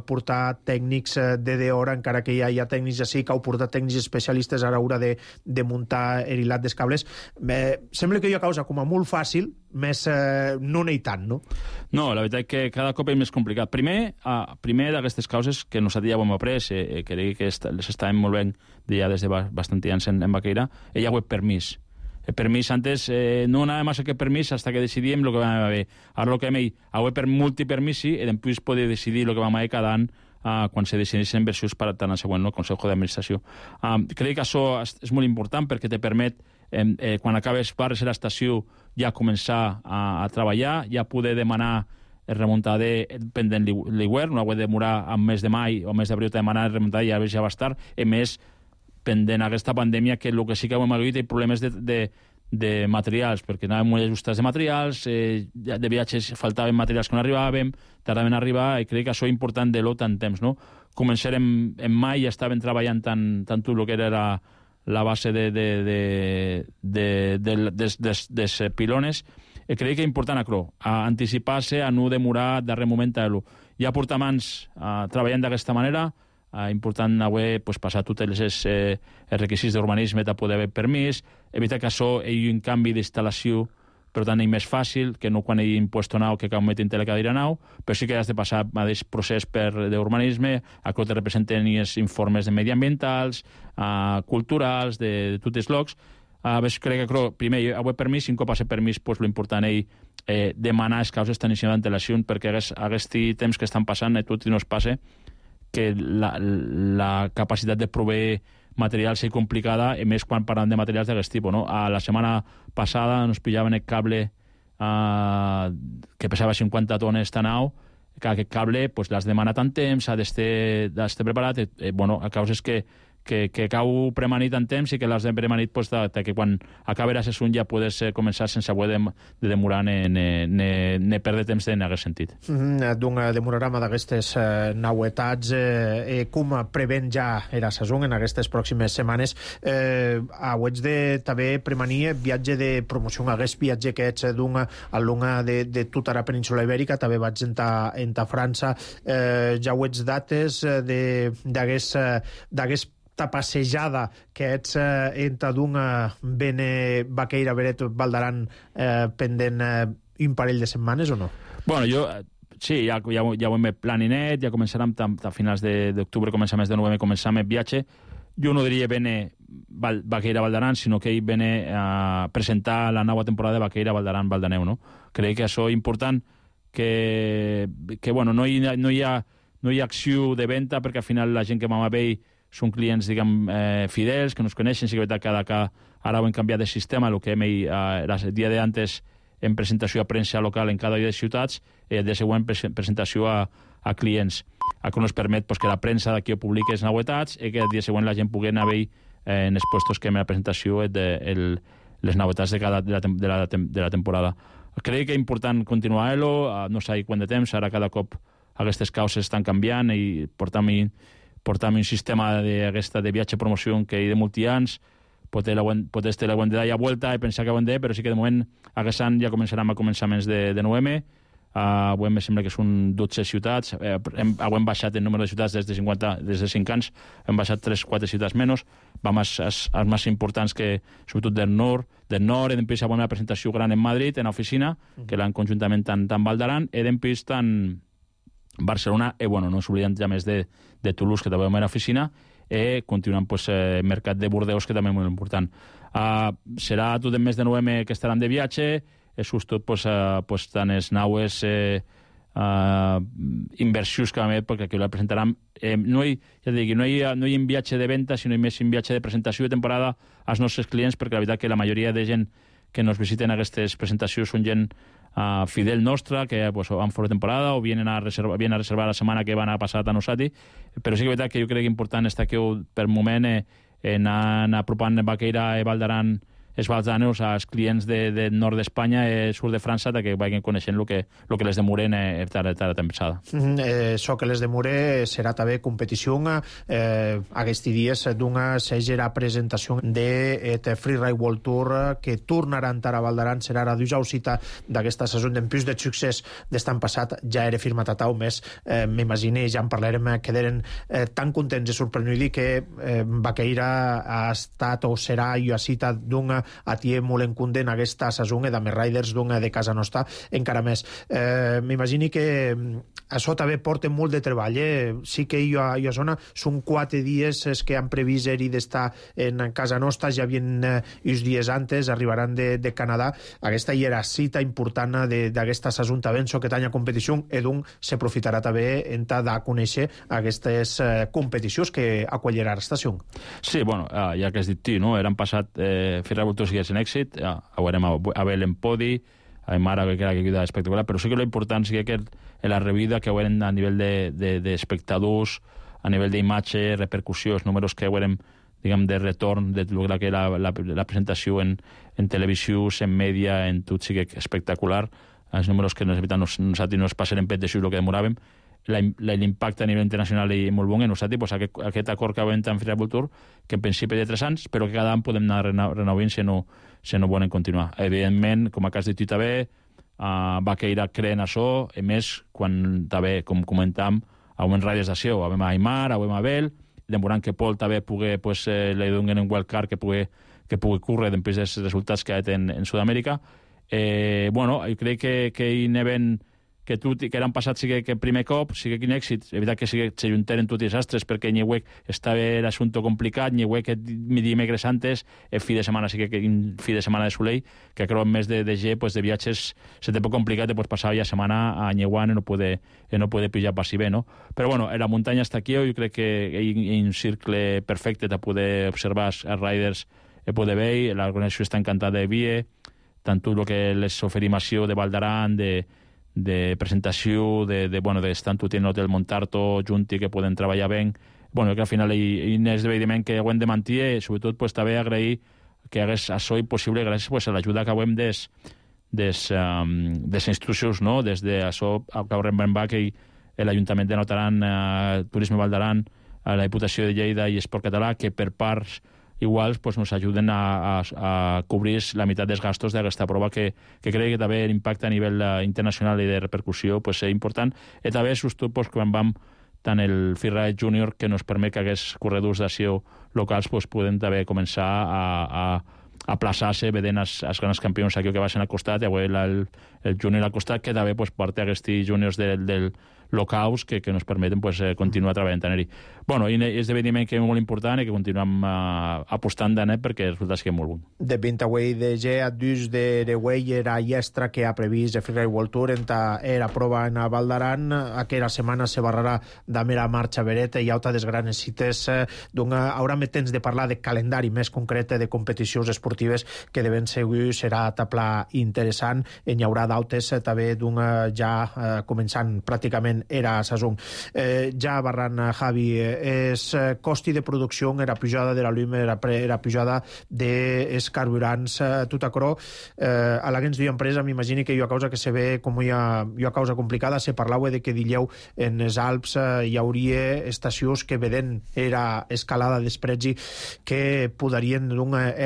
portar tècnics de hora, encara que ja hi ha tècnics així, cau portar tècnics especialistes a l'hora de muntar l'hilat dels cables. Sembla que hi ha causa com a molt fàcil, més no n'hi tant, no? No, la veritat que cada cop és més complicat. Primer d'aquestes causes que nosaltres ja ho hem après, crec que les estàvem molt ben ja des de bastant temps en Baqueira, hi ha permís. El permís antes no anava massa que permís hasta que decidíem el que vam haver. Ara el que hem per multipermisi i després poder decidir el que vam haver cada any quan se decideixen inversions per tant al següent Consejo d'Administració. Crec que això és molt important perquè te permet, quan acabes barres a l'estació, ja començar a treballar, ja poder demanar el remuntader pendent l'hivern, no ha de demorar al mes de maig o mes d'abril de demanar el remuntader i ja va estar, a més pendent aquesta pandèmia, que el que sí que hem hagut hi problemes de materials, perquè anàvem molt ajustats de materials, de viatges faltaven materials que no arribàvem, tardaven a arribar, i crec que això és important de tant temps, no? Començarem en maig, ja estaven treballant tant tot el que era la base dels pilones, i crec que és important anticipar-se, a no demorar darrer moment a l'ho. Ja portem anys treballant d'aquesta manera, important avui passar tots els requisits d'urbanisme per poder haver permís, evitar que això hi hagi un canvi d'instal·lació, per tant és més fàcil que no quan hi hagi impuesto nou que cal metre Telecadira nou, però sí que has de passar el mateix procés d'urbanisme, a que te representen els informes mediambientals, culturals, de tots els llocs. Crec que primer avui permís, un cop ha ser permís, l'important és demanar les causes d'inici d'antelació, perquè aquest temps que estan passant a tot i no es passa, que la capacitat de proveir materials és complicada, i més quan parlem de materials d'aquest tipus, no? La setmana passada ens pillaven el cable que pesava 50 tones tan alt, que aquest cable l'has demanat en temps, ha d'estar preparat, a causes que cau premanit en temps i que l'has de premanit que quan acabi la sessió ja podes començar sense haver de demorar ni perdre temps en aquest sentit. D'un demorarama d'aquestes novetats, com prevent ja la sessió en aquestes pròximes setmanes, hauets de també premanir viatge de promoció, aquest viatge que ets d'un alumne de tota la península ibèrica, també vaig entrar a França, ja hauets dates d'aquest passejada que ets entre d'una Bene Baqueira Beret Valdaran pendent un parell de setmanes o no? Bueno, sí, ja ho hem planinet, ja començarem a finals d'octubre, començar mes de novembre, començar el viatge. Jo no diria Bene Baqueira-Valdaran, sinó que ell viene a presentar la nova temporada de Baqueira-Valdaran-Valdaneu, no? Crec que això és important, que bueno, no hi ha acció de venda, perquè al final la gent que vam a veure són clients, diguem, fidels, que nos coneixen, sí que és veritat que ara ho hem canviat de sistema, el que el dia d'antes en presentació a premsa local en cada una de les ciutats, i el dia següent presentació a clients, que ens permet que la premsa d'aquí ho publiqui les novetats i que el dia següent la gent pugui anar a veure en els puestos que en la presentació les novetats de la temporada. Crec que és important continuar-lo, no sé quant de temps, ara cada cop aquestes causes estan canviant i portam un sistema de viatge-promoció que hi ha de molts anys, potser la hem de dar ja vuelta i pensar que ho hem de, però sí que de moment aquest any ja començarem a començaments de novembre. Avui em sembla que són 12 ciutats, hem baixat el número de ciutats des de 5 anys, hem baixat 3-4 ciutats menys, vam als més importants, que sobretot del nord, i després avui una presentació gran en Madrid, en l'oficina, que l'han conjuntament tant Valdaran, i després tant Barcelona, i bueno, no ens oblidem ja més de Toulouse, que també vam a l'oficina, i continuant el mercat de Bordeus, que també és molt important. Serà tot el mes de novembre que estaran de viatge, és tot tant les naues inversions que vam fer, perquè aquí la presentaran. No hi ha un viatge de venda, sinó més un viatge de presentació de temporada als nostres clients, perquè la veritat que la majoria de gent que ens visiten aquestes presentacions són gent fidel nostra, que van fora de temporada o vienen a reservar la setmana que van a passar a Nosati, però sí que és veritat que jo crec que important està que per moment anar apropant Baqueira i Valdaran els valdaneus als clients del nord d'Espanya i sud de França, que vagin coneixent el que les demora a tempsada. Això que les demora serà també competició aquests dies d'una segera presentació de Freeride World Tour que tornaran a Valdaran, serà la duja cita d'aquesta saison d'en plus de succés d'estan passat, ja era firmat a tau més, m'imagino, ja en parlarem, quedaren tan contents i sorprenents que Baqueira ha estat o serà i a cita d'una atié molt en compte en aquesta saison i també riders d'una de casa nostra encara més. M'imagino que això també porta molt de treball. Sí que jo a zona són 4 dies que han previst d'estar en casa nostra, ja havien uns dies antes, arribaran de Canadà. Aquesta hi era cita important d'aquesta saison també, en que tanya competició, i doncs s'aprofitarà també en de conèixer aquestes competicions que acollirà l'estació. Sí, bueno, ja que has dit tu, no? Eren passat Freeride World Tour sigués en èxit, veurem a Abel en podi, a Mara, que era que queda espectacular, però sí que l'important sí que la revida que veurem a nivell d'espectadors, a nivell d'imatge, repercussió, els números que veurem, diguem, de retorn de la presentació en televisió, en mèdia, en tot, sí que espectacular. Els números que nosaltres no es passen en pet de el que demoràvem. L'impacte a nivell internacional és molt bon, nosaltres aquest acord que vam amb Freeride World Tour, que en principi de 3 anys, però que cada any podem anar renovant si no volen continuar. Evidentment, com a cas de tu també, Baqueira creen això, i més quan també, com comentàvem, augment riders d'acció, avem a Aymar, avem a Abel, demorant que Pol també pugui, li donen un wildcard que pugui córrer després dels resultats que ha fet en Sud-amèrica. Bueno, jo crec que hi neven que eren passat sí que primer cop, sí que quin èxit, és veritat que sí que s'ajuntaren tots els astres, perquè Nyewek estava l'assumpte complicat, Nyewek dimecres antes, el fi de setmana sí que fi de setmana de Soleil, que creu en més de G, de viatges, se té poc complicat, passar ja setmana a Nyewan i no puede pillar passi bé, no? Però bueno, la muntanya està aquí, jo crec que hi ha un cercle perfecte de poder observar els riders i poder veure, l'organització està encantada de vie, tant tot el que les oferimació de Valdaran, de presentació, d'estar tot en l'hotel Montarto, junti, que poden treballar bé. Bueno, que al final hi ha esdeveniment que ho hem de mantenir, sobretot també agrair que hagués això possible gràcies a l'ajuda que hem des institucions, no? Des de això que haurem Bach i l'Ajuntament de Notaran, Turisme Valdaran, la Diputació de Lleida i Esport Català, que per parts iguals ens ajuden a cobrir la meitat dels gastos d'aquesta prova, que crec que també l'impacte a nivell internacional i de repercussió és important. I també sobretot quan vam tant el Freeride Junior, que ens permet que aquests corredors d'acció locals poden també començar a plaçar-se veient els grans campions aquí que baixen al costat, i avui el júnior al costat, que també porta aquests júniors del locals que nos permeten pues, continuar treballant en ell. Bueno, i és esdeveniment que és molt important i que continuem apostant en ell perquè resulta que és molt bon. De 20 away de G a dus de Rewey era iestra que ha previst de Freeride World Tour era prova en Val d'Aran. Aquella setmana se barrarà de mera marxa vereta i auta des granes cites. Haurà més temps de parlar de calendari més concret de competicions esportives que de ben segur serà tapla interessant. Hi haurà d'autes també ja començant pràcticament era saison. Ja barran Javi, és costi de producció, era pujada de la llum, era pujada dels carburants, tot acrò. A la gens d'empresa m'imagini que hi ha causa que se ve com hi ha causa complicada. Se parlava de que dileu en els Alps hi hauria estacions que veden era escalada despretzi que podarien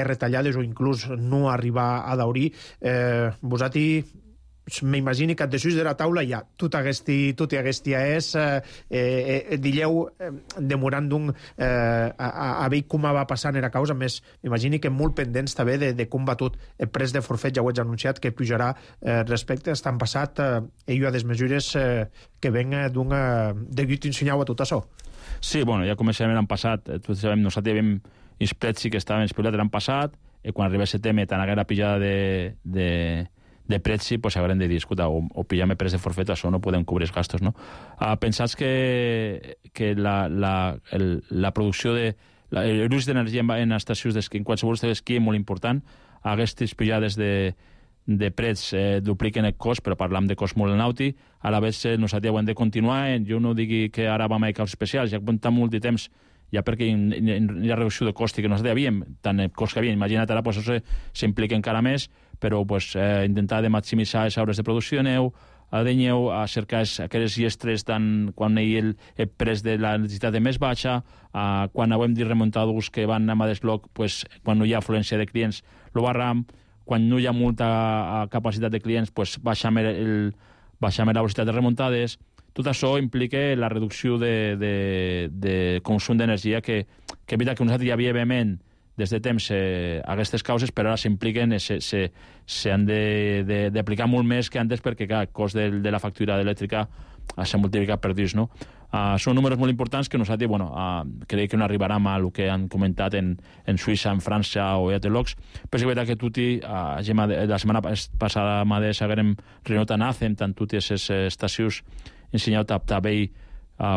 retallades o inclús no arribar a daurir. Vosati m'imagini que després de la taula ja tot aquesta és dileu demorant a veure com va passant era causa, més m'imagini que molt pendents també de com va tot el pres de forfet. Ja ho he anunciat que pujarà respecte a estan passat hi ha des mesures que ven degut ensenyar a tot això. Sí, bueno, ja començarem l'any passat, tots sabem, nosaltres havíem Sprezzi que estaven especulat l'any passat, i quan arriba setembre tan haguera pillada de prezzi, pues haurem de dir, escolta, o pillam el pres de forfet, això no podem cobrir els gastos, no? Pensats que la producció l'ús d'energia en estacions d'esquí, en qualsevol estació d'esquí és molt important. Aquestes pillades de prets dupliquen el cost, però parlam de cost molt nauti. A la vegada nosaltres ho hem de continuar. Jo no digui que ara vam a caus especials, ja comptem molt de temps ja perquè hi ha reducció de cost que nosaltres havíem, tant el cost que havíem, imagina't ara, pues, això s'implica encara més, però pues, intentar de maximitzar les hores de producció de neu, a cercar aquelles llestres quan hi ha el pres de la necessitat de més baixa, quan hem dit remuntadors que van a desloc, pues, quan no hi ha afluència de clients, lo barram, quan no hi ha molta capacitat de clients, pues, baixem la velocitat de remuntades. Tot això implica la reducció de consum d'energia que evita que nosaltres ja havíem des de temps aquestes causes, però ara s'impliquen, s'han d'aplicar molt més que antes perquè el cost de la factura elèctrica s'ha multiplicat per 2, no? Són números molt importants que nosaltres, crec que no arribarem a el que han comentat en Suïssa, en França o a Telox, però és veritat que tutti, la setmana passada mateix haguem reunit a NACEM, tant totes les estacions ensenyat també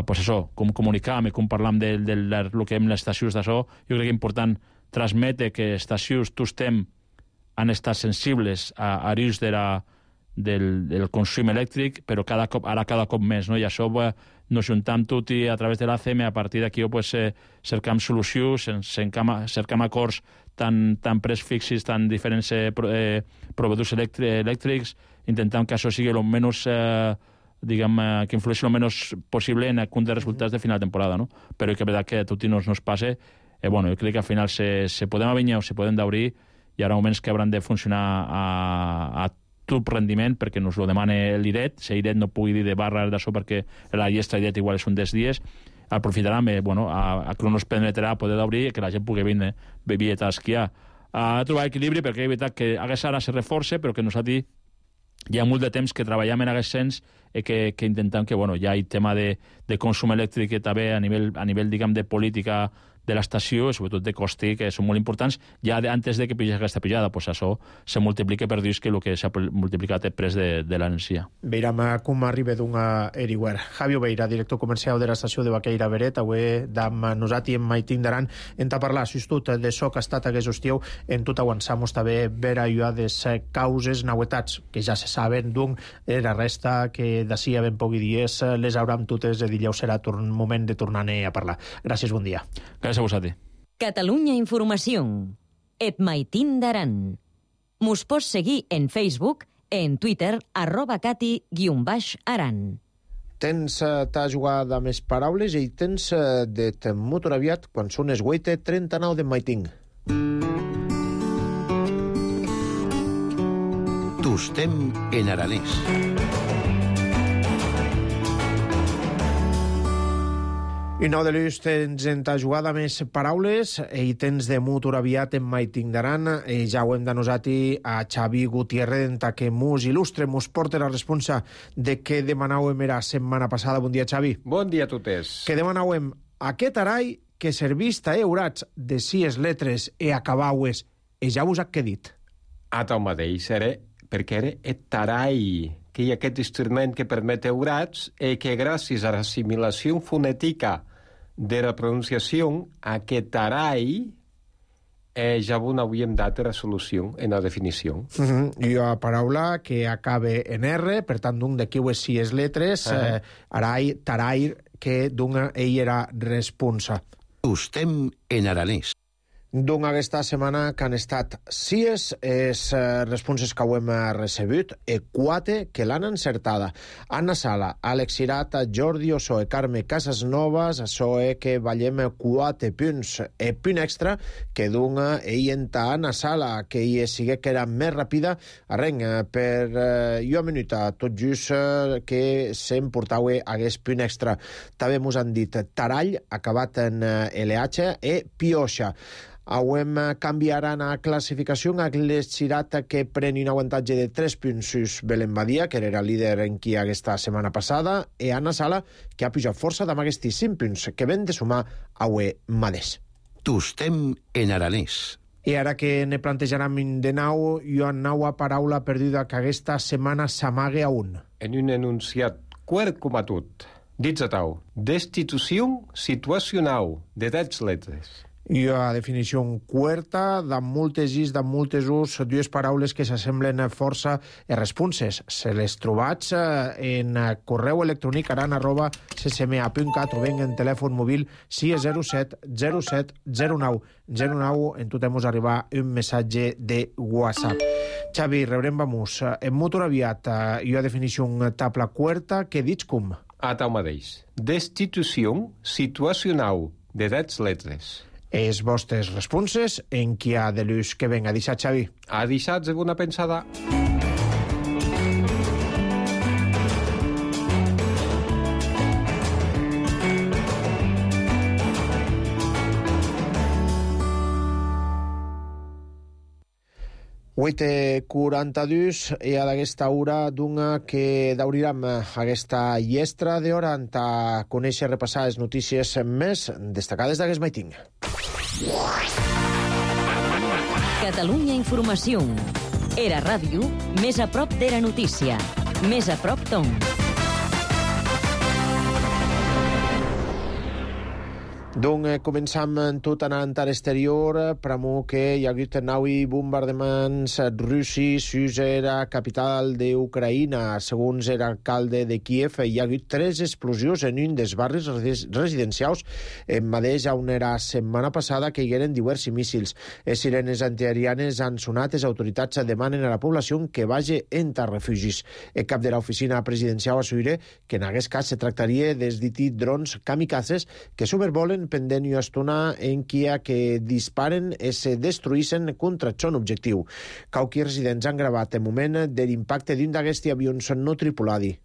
pues això, com comunicam i com parlam del que hem les estacions d'això. Jo crec que és important transmetre que estacions tots han estat sensibles a l'ús del consum elèctric, però ara cada cop més, no? I això nos juntem tot i a través de l'ACM, a partir d'aquí pues, cercam solucions, cercam acords tant pres fixis, tant diferents proveïdors elèctrics, intentant que això sigui el menys que influeixi el menys possible en el compte de resultats de final de temporada, no? Però és veritat que a tots no es passa. Jo crec que al final se podem avinyar o se podem d'obrir. Hi haurà moments que hauran de funcionar a tot rendiment perquè nos ho demana l'IRET. Si l'IRET no pugui dir de barra d'això perquè la llestra IRET igual és un dels dies, aprofitarem, a que no es permetrà poder d'obrir i que la gent pugui venir a esquiar. A trobar equilibri perquè és veritat que ara se reforça, però que nosaltres hi ha molt de temps que treballem en aquest sens i que intentem que hi ha el tema de consum elèctric que també a nivell diguem, de política de l'estació, sobretot de costi, que són molt importants, ja antes de que pugui aquesta pujada, pues això se multiplica per dir que el que s'ha multiplicat el pres de l'energia. Veurem com arriba d'una Eriware. Javi Obeira, director comercial de l'estació de Baqueira Beret, avui amb nosaltres en Maitín d'Aran, hem de parlar, si tot d'això que ha estat aquest estiu, en tot avançamos també veure allò de causes, novetats, que ja se saben, la resta que d'ací a ben pocs dies les hauram totes de dilluns serà moment de tornar-ne a parlar. Gràcies, bon dia. Gràcies a vosaltres. Catalunya Informació. Et Maitín d'Aran. Mos pots seguir en Facebook, en Twitter, @cati_aran. Tens t'ha jugat amb les paraules i tens de molt aviat quan són es 8:39 de Maitín. Tostem en aranès. I nou de l'ús tens en ta jugada més paraules i tens de mutur aviat en maiting d'aran i ja ho hem denosati a Xavi Gutiérrez en ta que mos il·lustre, mos porta la responsa de què demanàvem era setmana passada. Bon dia, Xavi. Bon dia a totes. Que demanàvem aquest arai que servista eurats de sies letres e acabaues e ja vos ha que dit. A tal mateix, perquè era et tarai, que hi ha aquest instrument que permet eurats i que gràcies a l'assimilació fonètica de la pronunciació, aquest tarai ja no havíem dat la solució en la definició. I una paraula que acabe en R, per tant, d'un de quiues sies letres, arai, tarai, que d'un ell era responsa. Ustem en aranès. Doncs aquesta setmana que han estat sies responses que ho hem recebut e 4 que l'han encertada. Anna Sala, Àlex Cirat, Jordi Osoe, Carme Casasnovas, Osoe que ballem 4 punts e punt extra que dona ell enta Anna Sala, que ell sigue que era més ràpida arrenc per una minuta, tot just que s'emportava hagués punt extra. També mos han dit Tarall, acabat en LH, e Pioxa. Auem canviaran a classificació a l'Escirat que pren un avantatge de 3 punts sus Belén Badia, que era líder en qui aquesta setmana passada, i Anna Sala, que ha pujat força amb aquests 5 punts que ven de sumar a Madès. Tustem en aranès. I ara que ne plantejaram de nou, jo nova paraula perduda que aquesta setmana s'amague a un. En un enunciat quart com a tot, dits a tau, destitució situacional de 10 letres. I a definició quarta, de moltes is, de moltes us, dues paraules que s'assemblen força a responses. Se les trobats en correu electrònic aran@ccma.cat o ben en telèfon mòbil 607 07 09 09 en tot hemos arribar un missatge de WhatsApp. Xavi, rebrem vamos. En motor aviat, i a definició tabla quarta, que dits com? A tal mateix. Destitució situacional de 10 letres. Els vostres responses en qui ha de l'ús que venga. Deixat, Xavi. A deixats de bona pensada. Uite 42 i a d'aquesta hora d'una que daurirem aquesta llestra d'hora en ta conèixer repassar les notícies més destacades d'aquest maiting. Catalunya Informació. Era ràdio, més a prop d'Era Notícia. Més a prop d'on. Donc, començam tot anant a l'exterior, pramo que hi ha hagut naui bombardements russis sus la capital d'Ucraïna. Segons l'alcalde de Kiev, hi ha hagut 3 explosions en un dels barris residencials en mateix on era setmana passada que hi eren diversos míssils. Les sirenes antiaerianes han sonat, les autoritats demanen a la població que vagi entre refugis. El cap de l'oficina presidencial assuire que en aquest cas se tractaria dels dits drons kamikazes que sobrevolen pendent una estona en Kia que disparen i se destruïssen contra son objectiu. Cauqui residents han gravat el moment de l'impacte d'un d'aquests avions no tripuladi.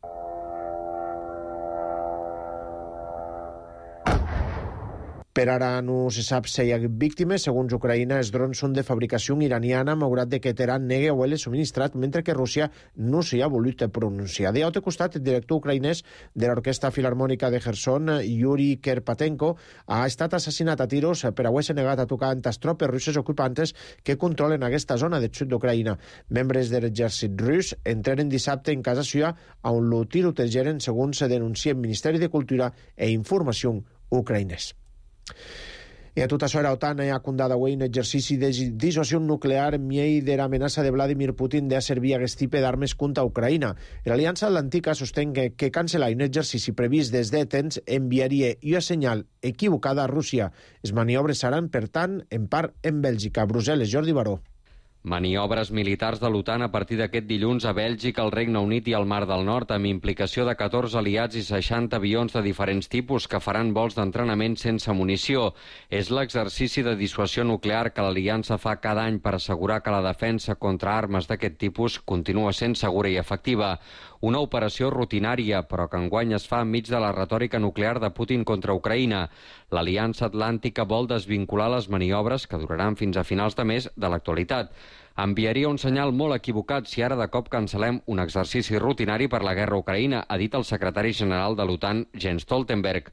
Per ara no se sap si hi ha víctimes. Segons Ucraïna, els drons són de fabricació iraniana, malgrat que Teheran nega haver-les subministrat, mentre que Rússia no s'hi ha volut pronunciar. D'altre costat, el director ucraïnès de l'Orquestra Filarmònica de Kherson, Yuri Kerpatenko, ha estat assassinat a tiros per haver-se negat a tocar amb les tropes russes ocupantes que controlen aquesta zona del sud d'Ucraïna. Membres de l'exèrcit rus entraren dissabte en casa seva on lo tirotejaren, segons se denuncia el Ministeri de Cultura e Informació ucraïnès. I a tot això, la OTAN ha condat avui un exercici de dissuasió nuclear en miei de l'amenaça de Vladimir Putin de servir aquest tipus d'armes contra Ucraïna. L'Aliança Atlàntica sostén que cancel·lar un exercici previst des de temps enviaria una senyal equivocada a Rússia. Les maniobres seran, per tant, en part en Bèlgica. Brussel·les, Jordi Baró. Maniobres militars de l'OTAN a partir d'aquest dilluns a Bèlgica, el Regne Unit i el Mar del Nord, amb implicació de 14 aliats i 60 avions de diferents tipus que faran vols d'entrenament sense munició. És l'exercici de dissuasió nuclear que l'Aliança fa cada any per assegurar que la defensa contra armes d'aquest tipus continua sent segura i efectiva. Una operació rutinària, però que enguany es fa enmig de la retòrica nuclear de Putin contra Ucraïna. L'Aliança Atlàntica vol desvincular les maniobres, que duraran fins a finals de mes, de l'actualitat. Enviaria un senyal molt equivocat si ara de cop cancel·lem un exercici rutinari per la guerra a Ucraïna, ha dit el secretari general de l'OTAN, Jens Stoltenberg.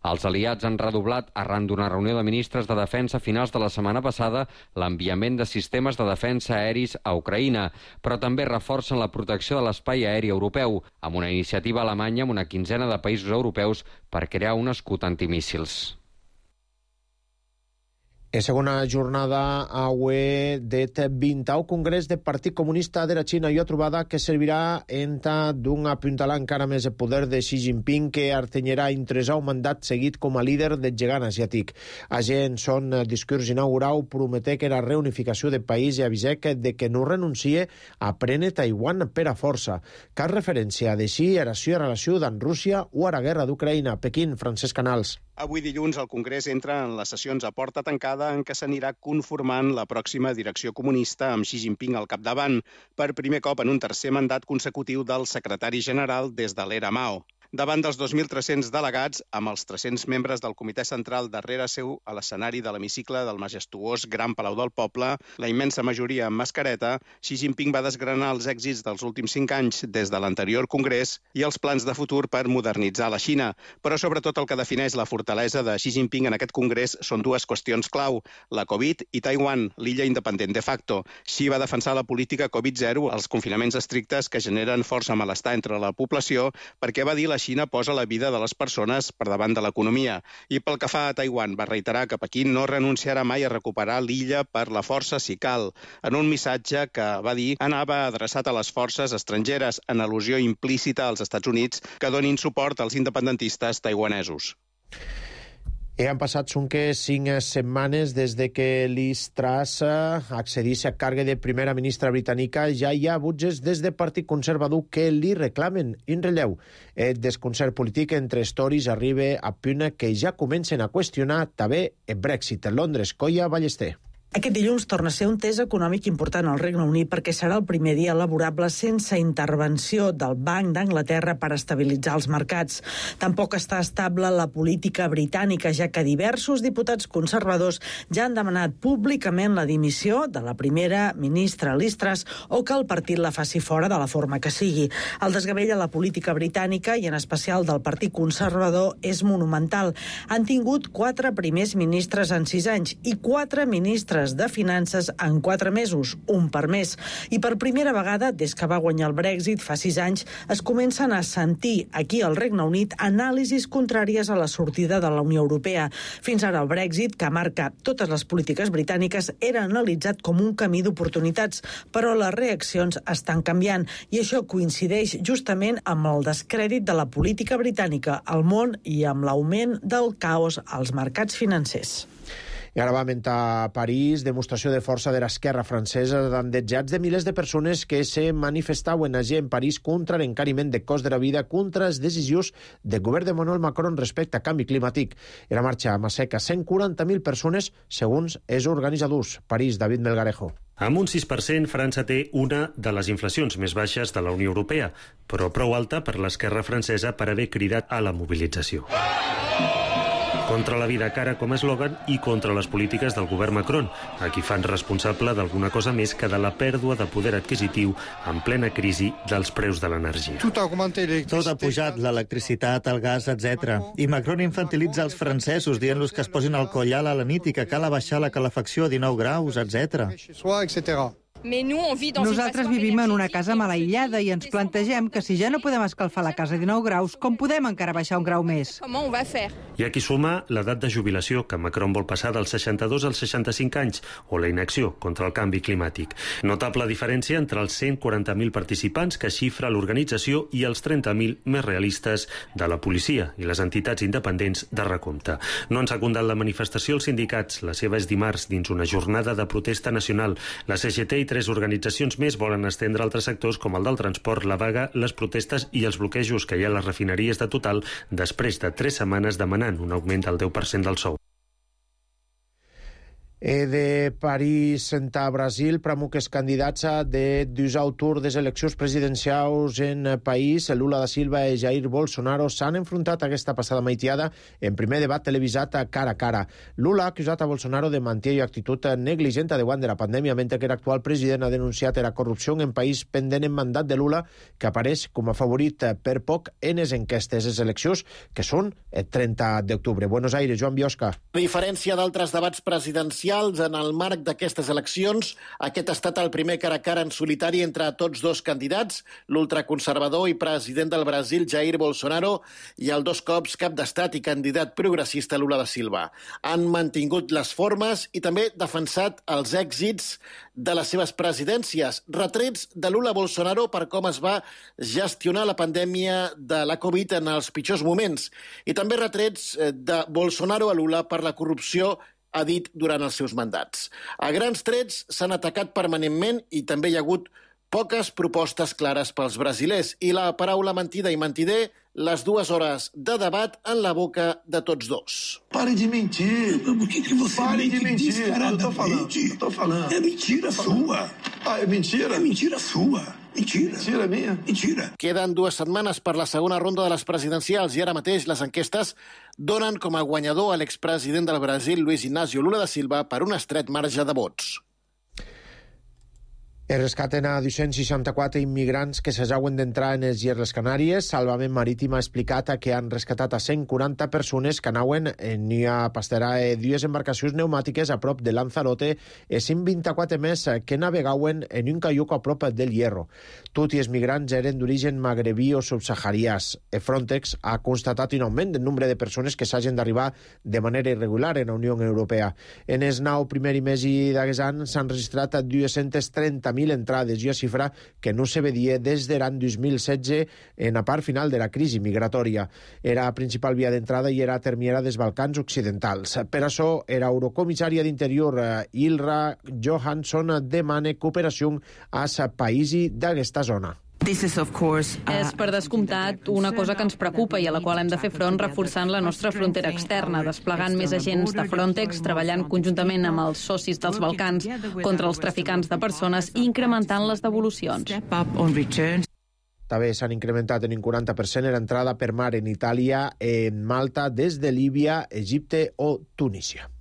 Els aliats han redoblat, arran d'una reunió de ministres de defensa a finals de la setmana passada, l'enviament de sistemes de defensa aeris a Ucraïna, però també reforcen la protecció de l'espai aeri europeu, amb una iniciativa alemanya amb una quinzena de països europeus per crear un escut antimíssils. En segona jornada aué det 20au Congrés del Partit Comunista de la Xina i una trobada que servirà d'un apuntalar encara més el poder de Xi Jinping, que artenyerà intresar un mandat seguit com a líder del gegant asiàtic. Agent son discurs inaugural prometé que la reunificació del país i avisec de que no renuncie a prendre Taiwan per a força. Cal referència de Xi a la seva relació amb Rússia o a la guerra d'Ucraïna. Pequín, Francesc Canals. Avui dilluns el Congrés entra en les sessions a porta tancada en què s'anirà conformant la pròxima direcció comunista amb Xi Jinping al capdavant, per primer cop en un tercer mandat consecutiu del secretari general des de l'era Mao. Davant dels 2.300 delegats, amb els 300 membres del Comitè Central darrere seu a l'escenari de l'hemicicle del majestuós Gran Palau del Poble, la immensa majoria amb mascareta, Xi Jinping va desgranar els èxits dels últims 5 anys des de l'anterior Congrés i els plans de futur per modernitzar la Xina. Però sobretot el que defineix la fortalesa de Xi Jinping en aquest Congrés són dues qüestions clau, la Covid i Taiwan, l'illa independent de facto. Xi va defensar la política Covid-0, els confinaments estrictes que generen força malestar entre la població, perquè va dir la Xina posa la vida de les persones per davant de l'economia. I pel que fa a Taiwan, va reiterar que Pequín no renunciarà mai a recuperar l'illa per la força si cal, en un missatge que va dir anava adreçat a les forces estrangeres, en al·lusió implícita als Estats Units que donin suport als independentistes taiwanesos. Han passat 5 setmanes des de que Liz Truss accedís a càrrec de primera ministra britànica. Ja hi ha butges des del Partit Conservador que li reclamen en relleu. El desconcert polític entre els Tories arriba a punt que ja comencen a qüestionar també el Brexit. En Londres, Coia Ballester. Aquest dilluns torna a ser un test econòmic important al Regne Unit perquè serà el primer dia laborable sense intervenció del Banc d'Anglaterra per estabilitzar els mercats. Tampoc està estable la política britànica, ja que diversos diputats conservadors ja han demanat públicament la dimissió de la primera ministra Liz Truss o que el partit la faci fora de la forma que sigui. El desgavell a la política britànica i en especial del Partit Conservador és monumental. Han tingut 4 primers ministres en 6 anys i 4 ministres de Finances en 4 mesos, un per mes. I per primera vegada, des que va guanyar el Brexit fa 6 anys, es comencen a sentir aquí al Regne Unit anàlisis contràries a la sortida de la Unió Europea. Fins ara el Brexit, que marca totes les polítiques britàniques, era analitzat com un camí d'oportunitats, però les reaccions estan canviant i això coincideix justament amb el descrèdit de la política britànica al món i amb l'augment del caos als mercats financers. I ara va a París, demostració de força de l'esquerra francesa davant de milers de persones que se manifestaven allí en París contra l'encariment de cost de la vida, contra les decisions del govern de Emmanuel Macron respecte a canvi climàtic. Era marxa a Masseca 140.000 persones, segons els organitzadors. París, David Melgarejo. Amb un 6%, França té una de les inflacions més baixes de la Unió Europea, però prou alta per l'esquerra francesa per haver cridat a la mobilització. Contra la vida cara com a eslògan i contra les polítiques del govern Macron, a qui fan responsable d'alguna cosa més que de la pèrdua de poder adquisitiu en plena crisi dels preus de l'energia. Tot ha pujat, l'electricitat, el gas, etc. I Macron infantilitza els francesos dient-los que es posin al collal a la nit i que cal abaixar la calefacció a 19 graus, etc. Nosaltres vivim en una casa mal aïllada i ens plantegem que si ja no podem escalfar la casa a 19 graus, com podem encara baixar un grau més? I aquí suma l'edat de jubilació, que Macron vol passar dels 62 als 65 anys, o la inacció contra el canvi climàtic. Notable diferència entre els 140.000 participants que xifra l'organització i els 30.000 més realistes de la policia i les entitats independents de recompte. No han secundat la manifestació els sindicats. La seva és dimarts dins una jornada de protesta nacional. La CGT i 3 organitzacions més volen estendre altres sectors com el del transport, la vaga, les protestes i els bloquejos que hi ha a les refineries de Total després de 3 setmanes demanant un augment del 10% del sou. De París a Brasil, pramuques candidats de dus tour des eleccions presidencials en país. Lula da Silva i Jair Bolsonaro s'han enfrontat aquesta passada maitiada en primer debat televisat cara a cara. Lula ha acusat a Bolsonaro de manter i actitud negligent davant de la pandèmia, mentre que l'actual president ha denunciat la corrupció en país pendent en mandat de Lula, que apareix com a favorit per poc en les enquestes. Les eleccions que són el 30 d'octubre. Buenos Aires, Joan Biosca. A diferència d'altres debats presidencials, en el marc d'aquestes eleccions, aquest ha estat el primer cara a cara en solitari entre tots dos candidats, l'ultraconservador i president del Brasil, Jair Bolsonaro, i el 2 cops cap d'estat i candidat progressista Lula da Silva. Han mantingut les formes i també defensat els èxits de les seves presidències, retrets de Lula a Bolsonaro per com es va gestionar la pandèmia de la Covid en els pitjors moments, i també retrets de Bolsonaro a Lula per la corrupció ha dit durant els seus mandats. A grans trets s'han atacat permanentment i també hi ha hagut poques propostes clares pels brasilers i la paraula mentida i mentider, les 2 hores de debat en la boca de tots dos. Pare de mentir. Por que você Pare de mentir. Eu tô falando. É mentira sua. Ah, é mentira? É mentira sua. Mentira. Mentira minha? Mentira. Queden 2 setmanes per la segona ronda de les presidencials i ara mateix les enquestes donen com a guanyador a l'expresident del Brasil, Luis Inácio Lula da Silva, per un estret marge de vots. Es rescaten a 264 immigrants que s'ajauen d'entrar en les Illes Canàries. Salvament Marítim ha explicat que han rescatat a 140 persones que anaven en a pasterar 2 embarcacions pneumàtiques a prop de Lanzarote i 124 més que navegaven en un caiuc a prop del Hierro. Tots els migrants eren d'origen magrebí o subsaharians. Frontex ha constatat un augment del nombre de persones que s'hagin d'arribar de manera irregular en la Unió Europea. En el 9 primer mes d'aquest any s'han registrat 230.000 entrades i una xifra que no se veia des de l'any 2016 en la part final de la crisi migratòria. Era la principal via d'entrada i era termiera dels Balcans occidentals. Per això, l'eurocomissària d'Interior Ylva Johansson demana cooperació als països d'aquesta zona. És, per descomptat, una cosa que ens preocupa i a la qual hem de fer front reforçant la nostra frontera externa, desplegant més agents de Frontex, treballant conjuntament amb els socis dels Balcans contra els traficants de persones i incrementant les devolucions. També s'han incrementat en un 40% l'entrada per mar en Itàlia, en Malta, des de Líbia, Egipte o Tunísia.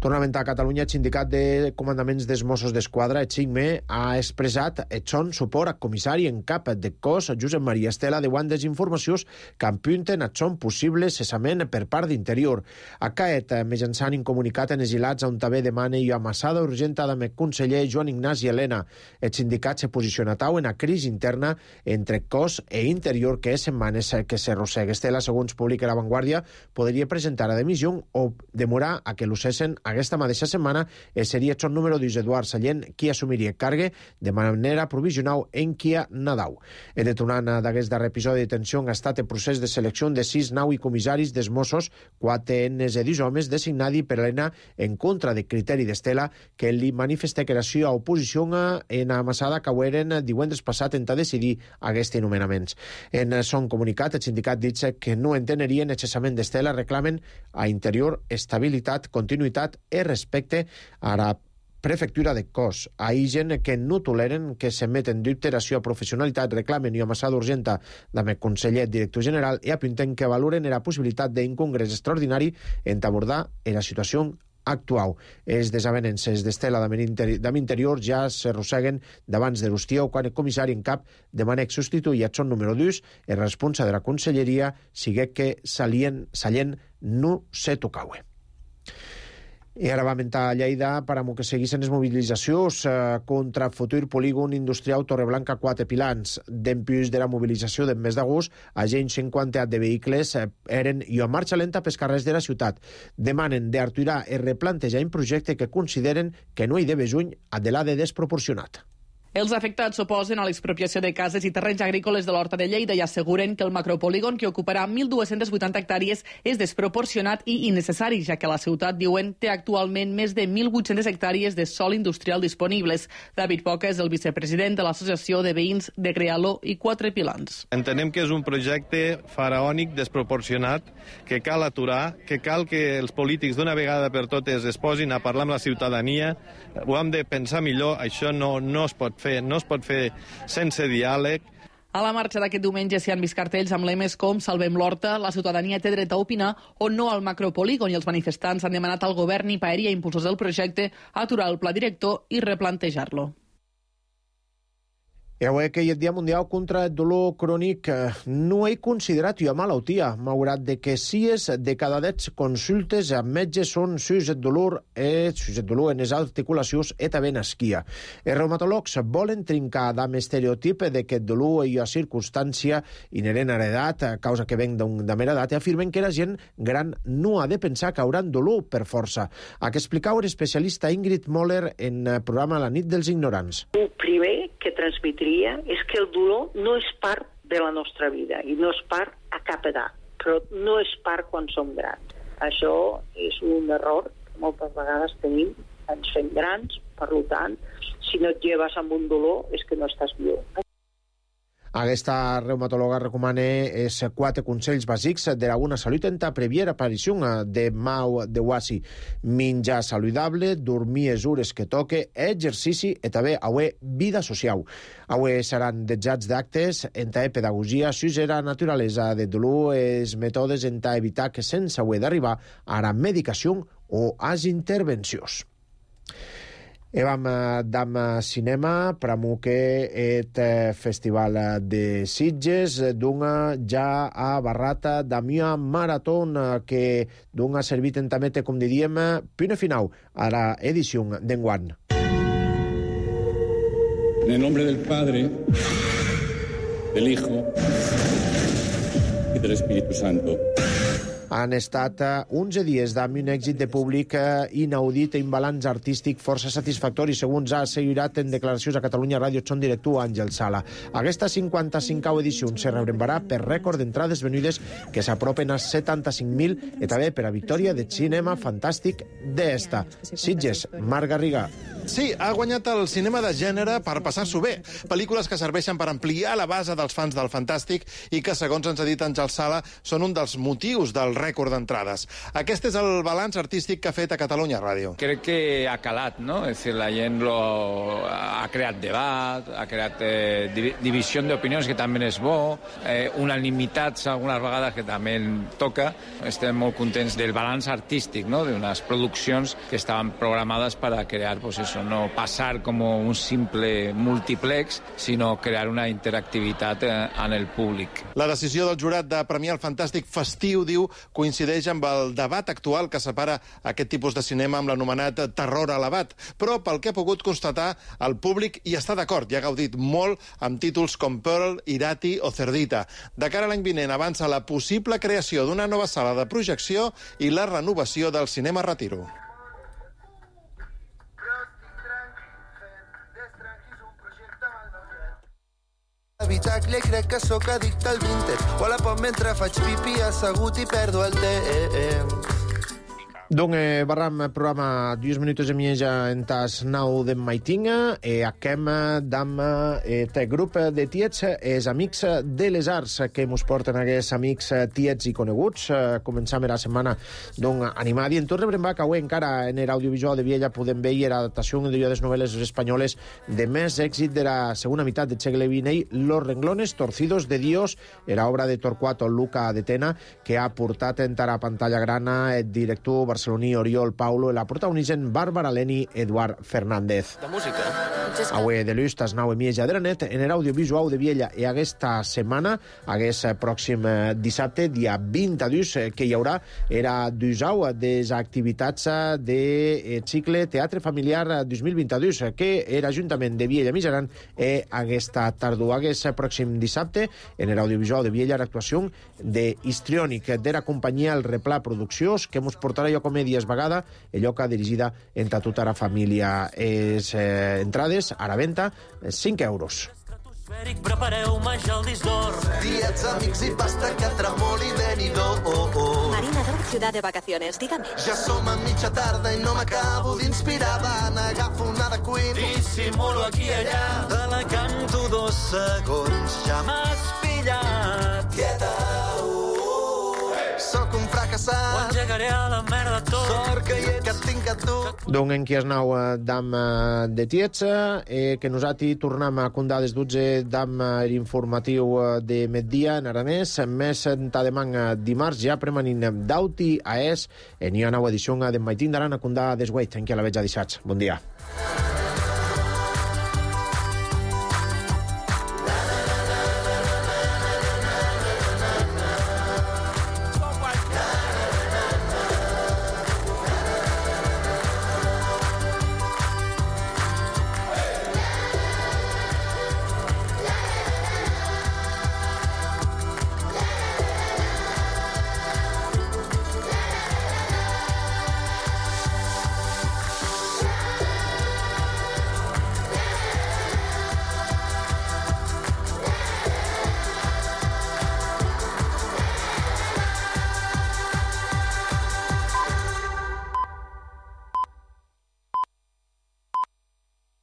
Tornament a Catalunya, el sindicat de comandaments dels Mossos d'Esquadra, el CICME, ha expressat el son suport al comissari en cap de cos, Josep Maria Estela, davant les informacions que apunten a son possible cessament per part d'Interior. Aquest, mitjançant un comunicat en exilats on també demana i amassada urgent amb el conseller Joan Ignasi Elena. El sindicat se posiciona tau en la crisi interna entre cos e Interior que és setmanes que s'arrossega. Estela, segons publica La Vanguardia, podria presentar a dimissió o demorar a que l'ucessen aquesta mateixa setmana seria el número d'1 Eduard Sallent qui assumiria càrrega de manera provisional en Kia Nadau. El detonant d'aquest darrer episodi de tensió ha estat el procés de selecció de 6 nau i comissaris dels Mossos, 4 enes i 10 homes designats per Elena en contra de criteri d'Estela que li manifesta que la seva oposició en amassada caueren divendres passat en decidir aquests nomenaments. En son comunicat, el sindicat dit que no entenerien el cessament d'Estela, reclamen a Interior estabilitat, continuïtat i respecte a la prefectura de cos. Hi ha gent que no toleren que s'emeten dubte la seva professionalitat, reclamen i amassada urgenta amb el conseller director general i apunten que valoren la possibilitat d'un congrés extraordinari en abordar la situació actual. Els desavenences d'Estela d'Am Interior ja s'arrosseguen d'abans de l'estiu, quan el comissari en cap demana que substituir el son número 2, el responsable de la conselleria, sigui que Sallent no se tocaue. I ara va mentar a Lleida per a que seguissin les mobilitzacions contra el futur polígon industrial Torreblanca 4 Pilans. Dempuix de la mobilització del mes d'agost, agents 50 de vehicles eren i a marxa lenta pels carrers de la ciutat. Demanen d'aturar i replantejar un projecte que consideren que no hi deve juny a de desproporcionat. Els afectats s'oposen a l'expropiació de cases i terrenys agrícoles de l'Horta de Lleida i asseguren que el macropolígon, que ocuparà 1.280 hectàrees, és desproporcionat i innecessari, ja que la ciutat, diuen, té actualment més de 1.800 hectàrees de sòl industrial disponibles. David Poca és el vicepresident de l'Associació de Veïns de Crealó i Quatre Pilans. Entenem que és un projecte faraònic, desproporcionat, que cal aturar, que cal que els polítics d'una vegada per totes es posin a parlar amb la ciutadania. Ho hem de pensar millor, això no es pot fer sense diàleg. A la marxa d'aquest diumenge s'hi han vist cartells amb lemes com Salvem l'Horta, la ciutadania té dret a opinar o no al macropolígon, i els manifestants han demanat al govern i paeria impulsors del projecte aturar el pla director i replantejar-lo. I avui que hi ha el Dia Mundial contra el dolor crònic, no he considerat una malaltia, malgrat de que 6 de cada 10 consultes amb metges són sus el dolor en les articulacions i també en esquia. Els reumatòlegs volen trincar amb l'estereotip de que el dolor és una circumstància inherent a l'edat, a causa que ven de mera edat, i afirmen que la gent gran no ha de pensar que hauran dolor per força. A què explicau l'especialista Ingrid Moller en el programa La nit dels ignorants. El primer que transmetria és que el dolor no és part de la nostra vida i no és part a cap edat, però no és part quan som grans. Això és un error que moltes vegades tenim, ens fem grans, per tant, si no et lleves amb un dolor és que no estàs viu. Aquesta reumatòloga recomana 4 consells bàsics de la bona salut en la prèvia aparició de mal de guasi. Menjar saludable, dormir les hores que toque, exercici i també avui vida social. Avui seran dejats d'actes en la pedagogia sus la naturalesa de dolor, els mètodes en evitar que sense haver d'arribar a la medicació o a les intervencions. Evam dam cinema, pramuque et festival de Sitges, dunga ja a barrata d'amia maratón que dunga servit en tamete, com diríem, pune final a la edició d'enguany. En el nombre del Padre, del Hijo y del Espíritu Santo. Han estat 11 dies amb un èxit de públic inaudit i un balanç artístic força satisfactori, segons ha assegurat en declaracions a Catalunya Ràdio Son director Àngel Sala. Aquesta 55a edició se rebrembarà per rècord d'entrades venudes que s'apropen a 75.000 i també per a victòria de cinema fantàstic d'esta. Sitges, Marc Garriga. Sí, ha guanyat el cinema de gènere per passar-s'ho bé. Pel·lícules que serveixen per ampliar la base dels fans del fantàstic i que, segons ens ha dit Àngel Sala, són un dels motius del rècord d'entrades. Aquest és el balanç artístic que ha fet a Catalunya Ràdio. Crec que ha calat, no? És dir, la gent ha creat debat, ha creat divisió d'opinions, que també és bo, unanimitats algunes vegades, que també toca. Estem molt contents del balanç artístic, no? D'unes produccions que estaven programades per a crear, pues eso, no pasar como un simple multiplex, sinó crear una interactivitat en el públic. La decisió del jurat de premiar el fantàstic festiu, diu, coincideix amb el debat actual que separa aquest tipus de cinema amb l'anomenat terror elevat. Però, pel que ha pogut constatar, el públic hi està d'acord i ha gaudit molt amb títols com Pearl, Irati o Cerdita. De cara a l'any vinent avança la possible creació d'una nova sala de projecció i la renovació del cinema Retiro. Habitacle, crec que sóc addicte al Vinted. O a la pot mentre faig pipi assegut i perdo el temps. Donc, barram programa 2 minuts de mieja en tas 9 de maitinga e aquem dam te grup de tiets els amics de les arts que mos porten aquests amics tiets i coneguts. Començam la setmana animada i en tot rebrem que avui encara en l'audiovisual de Viella podem veure l'adaptació de les novel·les espanyoles de més èxit de la segona meitat del segle XX, Los renglones torcidos de Dios, era obra de Torquato Luca de Tena, que ha portat en la pantalla grana el director barceloní Oriol Paulo i la protagonitzen Bàrbara Leni i Eduard Fernández. De música. Avui de l'ús tas 9 i mitja de la nit en l'audiovisual de Viella i aquesta setmana, aquest pròxim dissabte, dia 22, que hi haurà era d'usau des activitats de cicle Teatre Familiar 2022, que l'Ajuntament de Viella Mijaran aquesta tardor, aquest pròxim dissabte, en l'audiovisual de Viella, l'actuació de Histriònic, de la companyia El Replà Produccions, que mos portarà jo comèdies vegada, allò que ha dirigida entre tota la família. Les entrades Tiets, a la venda, 5 euros. Prepareu-me ja el disc d'or. Diets, amics i pasta que tremoli venidor. Marina d'Or, ciutat de vacaciones, dígame. Ja som a mitja tarda i no m'acabo d'inspirar. N'agafo una de Queen. Dissimulo aquí i allà. Te la canto 2 segons. Ja m'has pillat. Tieta, Soc un fracassat. Ho engegaré a la merda tot. Sort que hi ets, que tinc a tu. Donc en qui es nau d'am de Tiets, que nosaltres tornem a condar des 12 d'am informatiu de migdia en aranès, més tademang dimarts ja premanin d'auti a es, en hi ha nau edició de Maitín d'Aran a condar des 8, en qui a la veig a dissats. Bon dia.